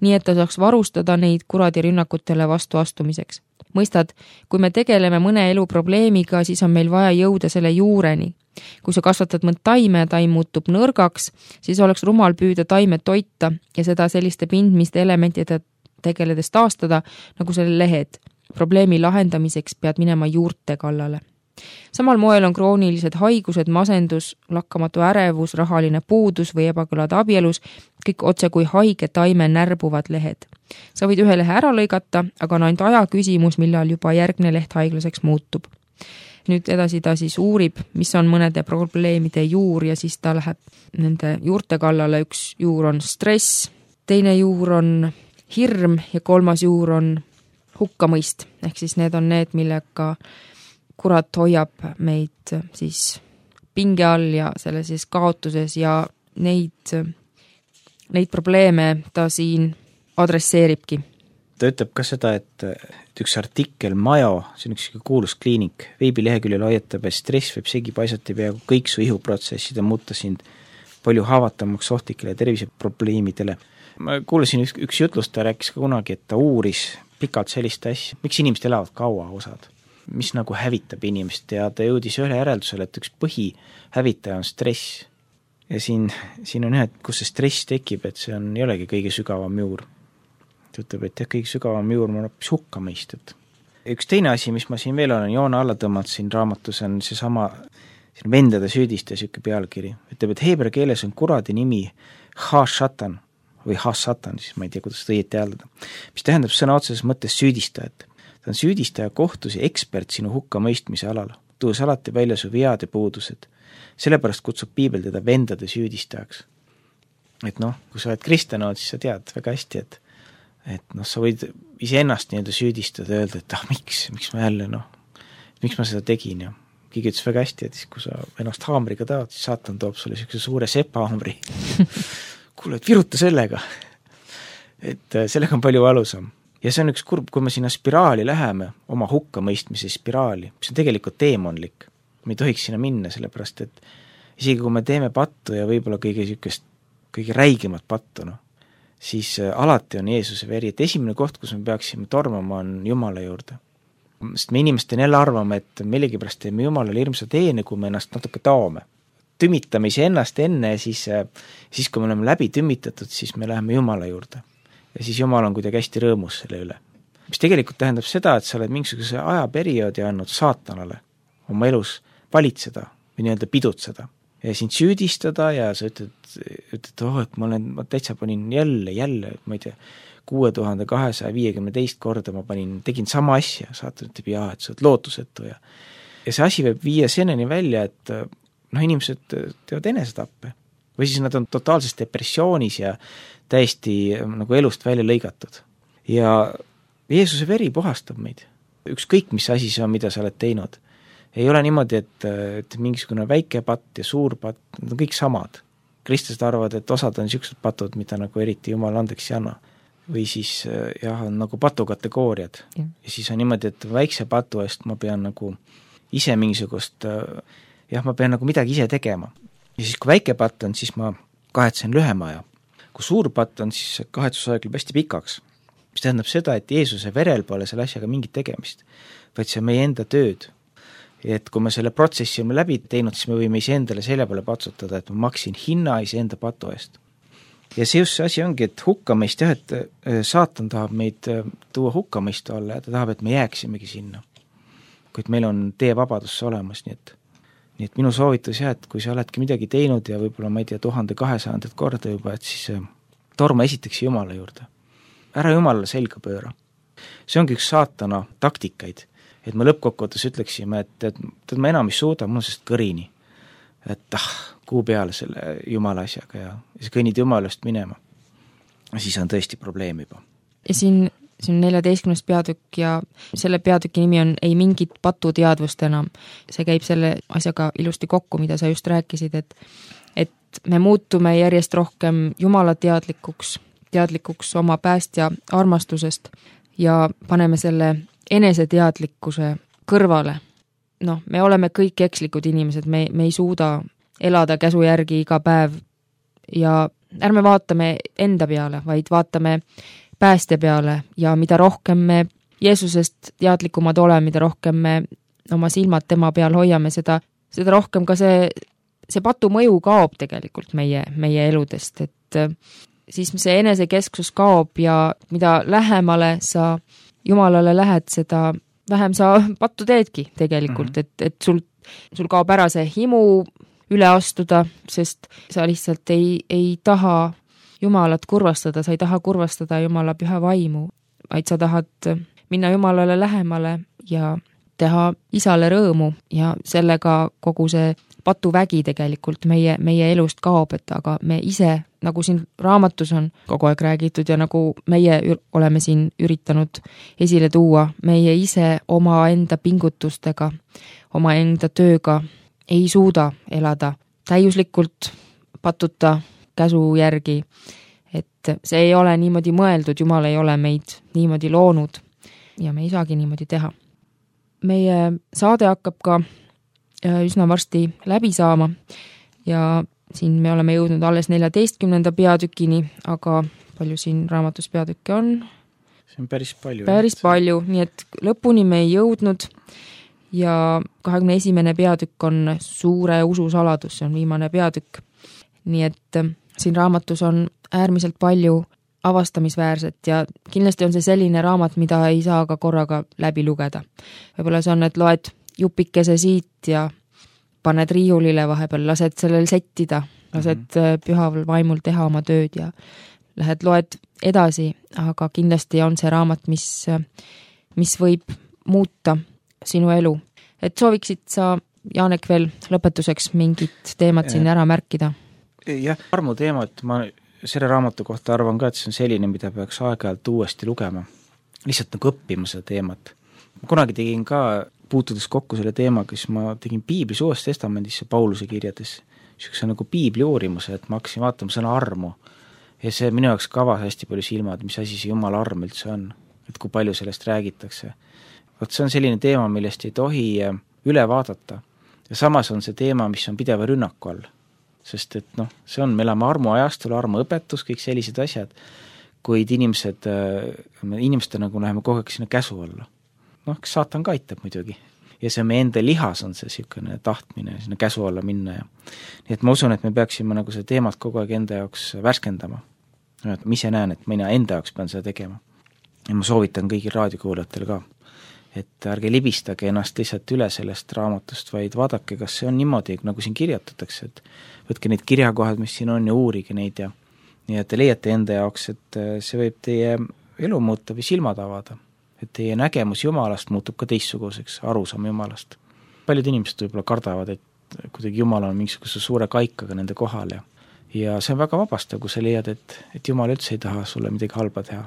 nii et ta saaks varustada neid kuradi rünnakutele vastu astumiseks. Mõistad, kui me tegeleme mõne elu probleemiga, siis on meil vaja jõuda selle juureni. Kui sa kasvatad mõnd taime ja taim muutub nõrgaks, siis oleks rumal püüda taime toita ja seda selliste pindmiste elementide tegeledes taastada, nagu selle lehed. Probleemi lahendamiseks pead minema juurte kallale. Samal moel on kroonilised haigused, masendus, lakkamatu ärevus, rahaline puudus või ebakõlad abielus, kõik otse kui haige taime närbuvad lehed. Sa võid ühe lehe ära lõigata, aga on ainult aja küsimus, millal juba järgne leht haiglaseks muutub. Nüüd edasi ta siis uurib, mis on mõnede probleemide juur ja siis ta läheb nende juurte kallale. Üks juur on stress, teine juur on hirm ja kolmas juur on hukkamõist. Ehk siis need on need, millega kurat hoiab meid siis pinge all ja selle siis kaotuses ja neid, neid probleeme ta siin adresseeribki. Ta ütleb ka seda, et, et üks artikkel Majo, see on üks kuulus kliinik, veebileheküljel hoiatab, et stress võib segi paisata peaaegu kõik su ihuprotsessid ja muuta sind palju haavatavamaks ohtlikele terviseprobleemidele. Ma kuulasin üks, üks jutlust, ta rääkis ka kunagi, et ta uuris pikalt sellist asja, miks inimesed elavad kaua osad, mis nagu hävitab inimest ja ta jõudis ühe järeldusele, et üks põhihävitaja on stress. Ja siin, siin on ühed, kus see stress tekib, et see on, ei olegi kõige sügavam juur. Ta ütleb, et kõige sügavam juur on hoopis hukkamõist. Üks teine asi, mis ma siin veel olen joone alla tõmmanud siin raamatus, on see sama siin vendade süüdiste süke pealkiri. Ütleb, et heebra keeles on kuradi nimi ha-shatan või ha-satan, siis ma ei tea, kuidas seda õieti hääldada, mis tähendab sõna otseses mõttes süüdistajat. Ta on süüdistaja kohtus ja ekspert sinu hukkamõistmise alal, tuues alati välja su vead ja puudused. Sellepärast kutsub piibel teda vendade süüdistajaks. Et noh, kui sa oled kristjan, siis sa tead väga hästi, et, et noh, sa võid iseennast nii-öelda süüdistada ja öelda, et ah, miks, miks ma jälle, noh, miks ma seda tegin ja keegi ütles väga hästi, et siis, kui sa ennast haamriga taad, siis saatan toob sulle niisuguse suure sepahaamri. Kuule, et viruta sellega. Et sellega on palju valusam. Ja see on üks kurb, kui me sinna spiraali läheme, oma hukkamõistmise spiraali, mis on tegelikult teemonlik. Me ei tohiks sinna minna, sellepärast, et isegi kui me teeme pattu ja võib-olla kõige sükest, kõige räigemat pattu, no, siis alati on Jeesuse veri, et esimene koht, kus me peaksime tormama, on Jumala juurde. Sest me inimestel jälle arvame, et millegipärast teeme Jumalale hirmsa teene, kui me ennast natuke taome. Tümitame ise ennast enne ja siis, siis kui me oleme läbi tümitatud, siis me läheme Jumala juurde. Ja siis Jumal on kuidagi hästi rõõmus selle üle. Mis tegelikult tähendab seda, et sa oled mingisuguse ajaperioodi andnud saatanale oma elus valitseda või nii-öelda pidutseda ja sind süüdistada ja sa ütled, ütled oh, et ma olen, ma täitsa panin jälle, jälle, ma ei tea, kuue tuhande kahesaja viiekümne teist korda ma panin, tegin sama asja, saatan ütleb jaa, et sa oled lootusetu ja ja see asi võib viia seneni välja, et noh, inimesed teevad enesetappe või siis nad on totaalses depressioonis ja täiesti nagu elust välja lõigatud. Ja Jeesuse veri puhastab meid. Ükskõik, mis asi see on, mida sa oled teinud. Ei ole niimoodi, et, et mingisugune väike patt ja suur patt, need on kõik samad. kristlased arvavad, et osad on niisugused patud, mida nagu eriti Jumal andeks ei anna. Või siis jah, on nagu patukategooriad. Ja. ja siis on niimoodi, et väikse patu eest ma pean nagu ise mingisugust, jah, ma pean nagu midagi ise tegema. Ja siis, kui väike patt on, siis ma kahetsen lühema aja. Kui suur patt on, siis kahetsusaeg läheb hästi pikaks. Mis tähendab seda, et Jeesuse verel pole selle asjaga mingit tegemist, vaid see on meie enda tööd. Et kui me selle protsessi oleme läbi teinud, siis me võime ise endale selja peale patsutada, et ma maksin hinna ise enda patu eest. Ja see just see asi ongi, et hukkamist, jah, et saatan tahab meid tuua hukkamist alla ja ta tahab, et me jääksimegi sinna. Kuid meil on tee vabadusse olemas, nii et, nii et minu soovitus jah, et kui sa oledki midagi teinud ja võib-olla ma ei tea tuhande kahesajandat korda juba, et siis torma esiteks Jumala juurde. Ära Jumalale selga pööra. See ongi üks saatana taktikaid, et me lõppkokkuvõttes ütleksime, et, et, et ma enam ei suuda, mul on sest kõrini. Et ah, kuu peale selle Jumala asjaga ja siis kõnnid Jumalast minema. Siis on tõesti probleem juba. Ja siin, siin neljateistkümnes peatükk ja selle peatüki nimi on Ei mingit patuteadvust enam. See käib selle asjaga ilusti kokku, mida sa just rääkisid, et, et me muutume järjest rohkem Jumala teadlikuks, teadlikuks oma päästja armastusest ja paneme selle eneseteadlikkuse kõrvale. Noh, me oleme kõik ekslikud inimesed, me, me ei suuda elada käsu järgi iga päev ja ärme vaatame enda peale, vaid vaatame päästja peale ja mida rohkem me Jeesusest teadlikumad oleme, mida rohkem me oma silmad tema peal hoiame, seda, seda rohkem ka see, see patu mõju kaob tegelikult meie, meie eludest, et siis see enesekesksus kaob ja mida lähemale sa Jumalale lähed, seda vähem sa pattu teedki tegelikult, mm-hmm. et, et sul, sul kaob ära see himu üle astuda, sest sa lihtsalt ei, ei taha Jumalat kurvastada, sa ei taha kurvastada Jumala püha vaimu, vaid sa tahad minna Jumalale lähemale ja teha isale rõõmu ja sellega kogu see patuvägi tegelikult meie, meie elust kaob, et aga me ise, nagu siin raamatus on kogu aeg räägitud ja nagu meie oleme siin üritanud esile tuua, meie ise oma enda pingutustega, oma enda tööga ei suuda elada täiuslikult patuta käsu järgi, et see ei ole niimoodi mõeldud, Jumal ei ole meid niimoodi loonud ja me ei saagi niimoodi teha. Meie saade hakkab ka üsna varsti läbi saama ja siin me oleme jõudnud alles neljateistkümnenda peatükini, aga palju siin raamatus peatükke on? See on päris palju. Päris jah. palju, nii et lõpuni me ei jõudnud ja kahekümne esimene peatükk on suure usu saladus, see on viimane peatükk. Nii et siin raamatus on äärmiselt palju avastamisväärset ja kindlasti on see selline raamat, mida ei saa ka korraga läbi lugeda. Võib-olla see on, et loed jupikese siit ja paned riiulile vahepeal, lased sellel settida, lased mm-hmm. pühaval vaimul teha oma tööd ja lähed loed edasi, aga kindlasti on see raamat, mis, mis võib muuta sinu elu. Et sooviksid sa, Jaanek, veel lõpetuseks mingit teemat siin ära märkida? Jah, armu teemat ma selle raamatu kohta arvan ka, et see on selline, mida peaks aeg-ajalt uuesti lugema. Lihtsalt nagu õppima seda teemat. Ma kunagi tegin ka puutudes kokku selle teemaga, siis ma tegin Piiblis Uues Testamendis Pauluse kirjades niisuguse nagu Piibli uurimuse, et ma hakkasin vaatama sõna armu ja see minu jaoks kavas hästi palju silmad, mis asi see Jumala arm üldse on, et kui palju sellest räägitakse. Vot see on selline teema, millest ei tohi üle vaadata ja samas on see teema, mis on pideva rünnaku all, sest et noh, see on, me elame armu ajastul, armu õpetus, kõik sellised asjad, kuid inimesed, inimeste nagu läheme kogu aeg sinna käsu alla. Noh, kas saatan ka aitab muidugi. Ja see meie enda lihas on see siukene tahtmine sinna käsu alla minna. Ja. Nii et ma usun, et me peaksime nagu see teemat kogu aeg enda jaoks värskendama. Ma ise näen, et mina enda jaoks pean seda tegema. Ja ma soovitan kõigil raadiokuulajatele ka, et ärge libistage ennast lihtsalt üle sellest raamatust, vaid vaadake, kas see on niimoodi, nagu siin kirjutatakse, et võtke neid kirjakohad, mis siin on ja uurige neid ja nii et te leiate enda jaoks, et see võib teie elu muuta või silmad avada. Et teie nägemus Jumalast muutub ka teistsuguseks, arusaam Jumalast. Paljud inimesed võib-olla kardavad, et kuidagi Jumal on mingisuguse suure kaikaga nende kohal ja, ja see on väga vabastav, kui sa leiad, et, et Jumal üldse ei taha sulle midagi halba teha.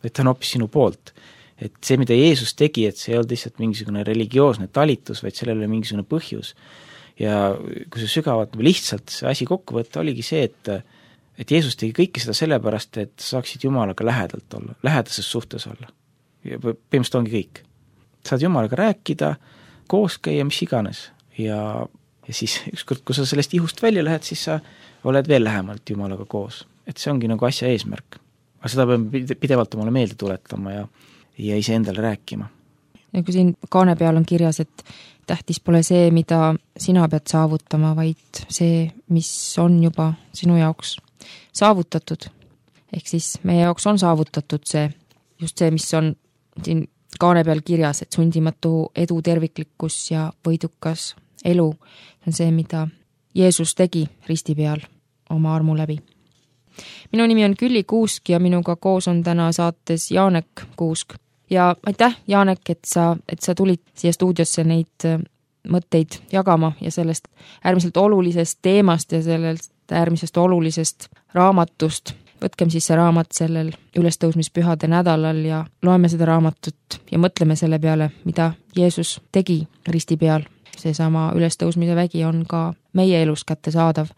Et ta on hoopis sinu poolt. Et see, mida Jeesus tegi, et see ei olnud lihtsalt mingisugune religioosne talitus, vaid sellel oli mingisugune põhjus. ja kui see sügavalt lihtsalt see asi kokku võtta, oligi see, et et Jeesus tegi kõike seda sellepärast, et saaksid Jumalaga lähedalt olla, lähedases suhtes olla. Ja põhimõtteliselt ongi kõik. Saad Jumalaga rääkida, koos käia, mis iganes. Ja, ja siis ükskord, kui sa sellest ihust välja lähed, siis sa oled veel lähemalt Jumalaga koos. Et see ongi nagu asja eesmärk. Aga seda peame pidevalt omale meelde tuletama ja, ja ise endale rääkima. Ja kui siin kaane peal on kirjas, et tähtis pole see, mida sina pead saavutama, vaid see, mis on juba sinu jaoks saavutatud. Ehk siis meie jaoks on saavutatud see, just see, mis on siin kaane peal kirjas, et sundimatu edu, terviklikkus ja võidukas elu. See on see, mida Jeesus tegi risti peal oma armu läbi. Minu nimi on Külli Kuusk ja minuga koos on täna saates Jaanek Kuusk. Ja aitäh, Jaanek, et sa, et sa tulid siia stuudiosse neid mõtteid jagama ja sellest äärmiselt olulisest teemast ja sellest äärmisest olulisest raamatust. Võtkem siis see raamat sellel ülestõusmispühade nädalal ja loeme seda raamatut ja mõtleme selle peale, mida Jeesus tegi risti peal. Seesama ülestõusmise vägi on ka meie elus kättesaadav,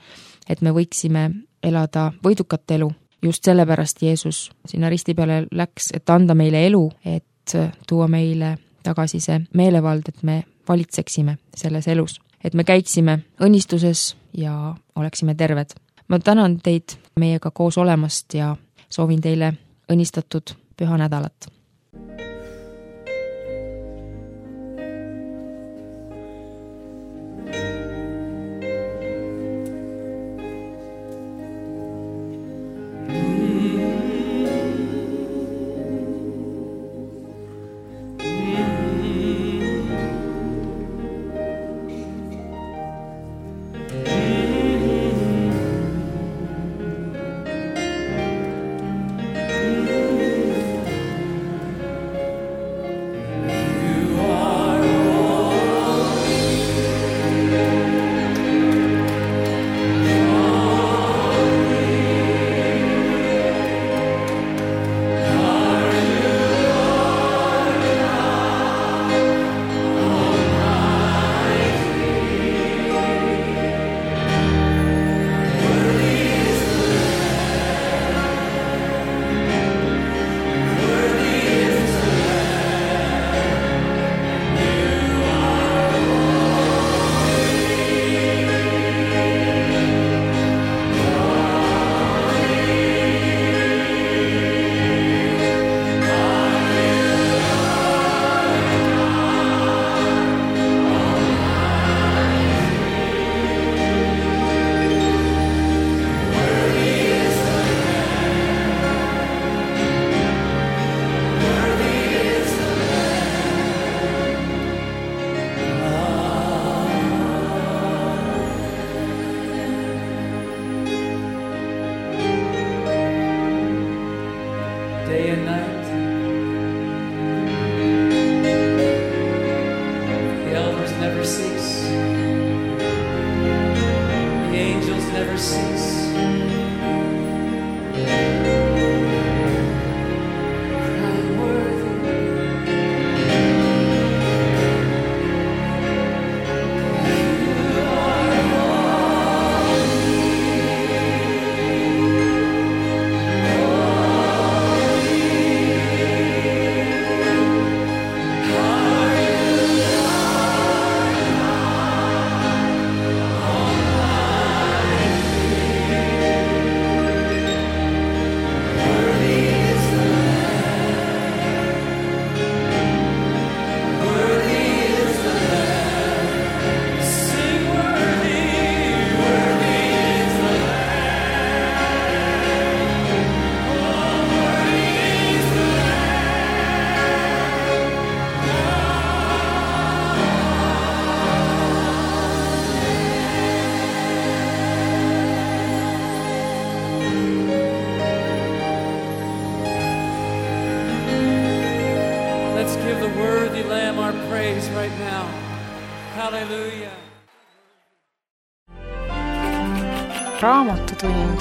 et me võiksime elada võidukat elu. Just sellepärast Jeesus sinna risti peale läks, et anda meile elu, et tuua meile tagasi see meelevald, et me valitseksime selles elus, et me käiksime õnnistuses ja oleksime terved. Ma tänan teid meiega koos olemast ja soovin teile õnnistatud püha nädalat. Raamatutund.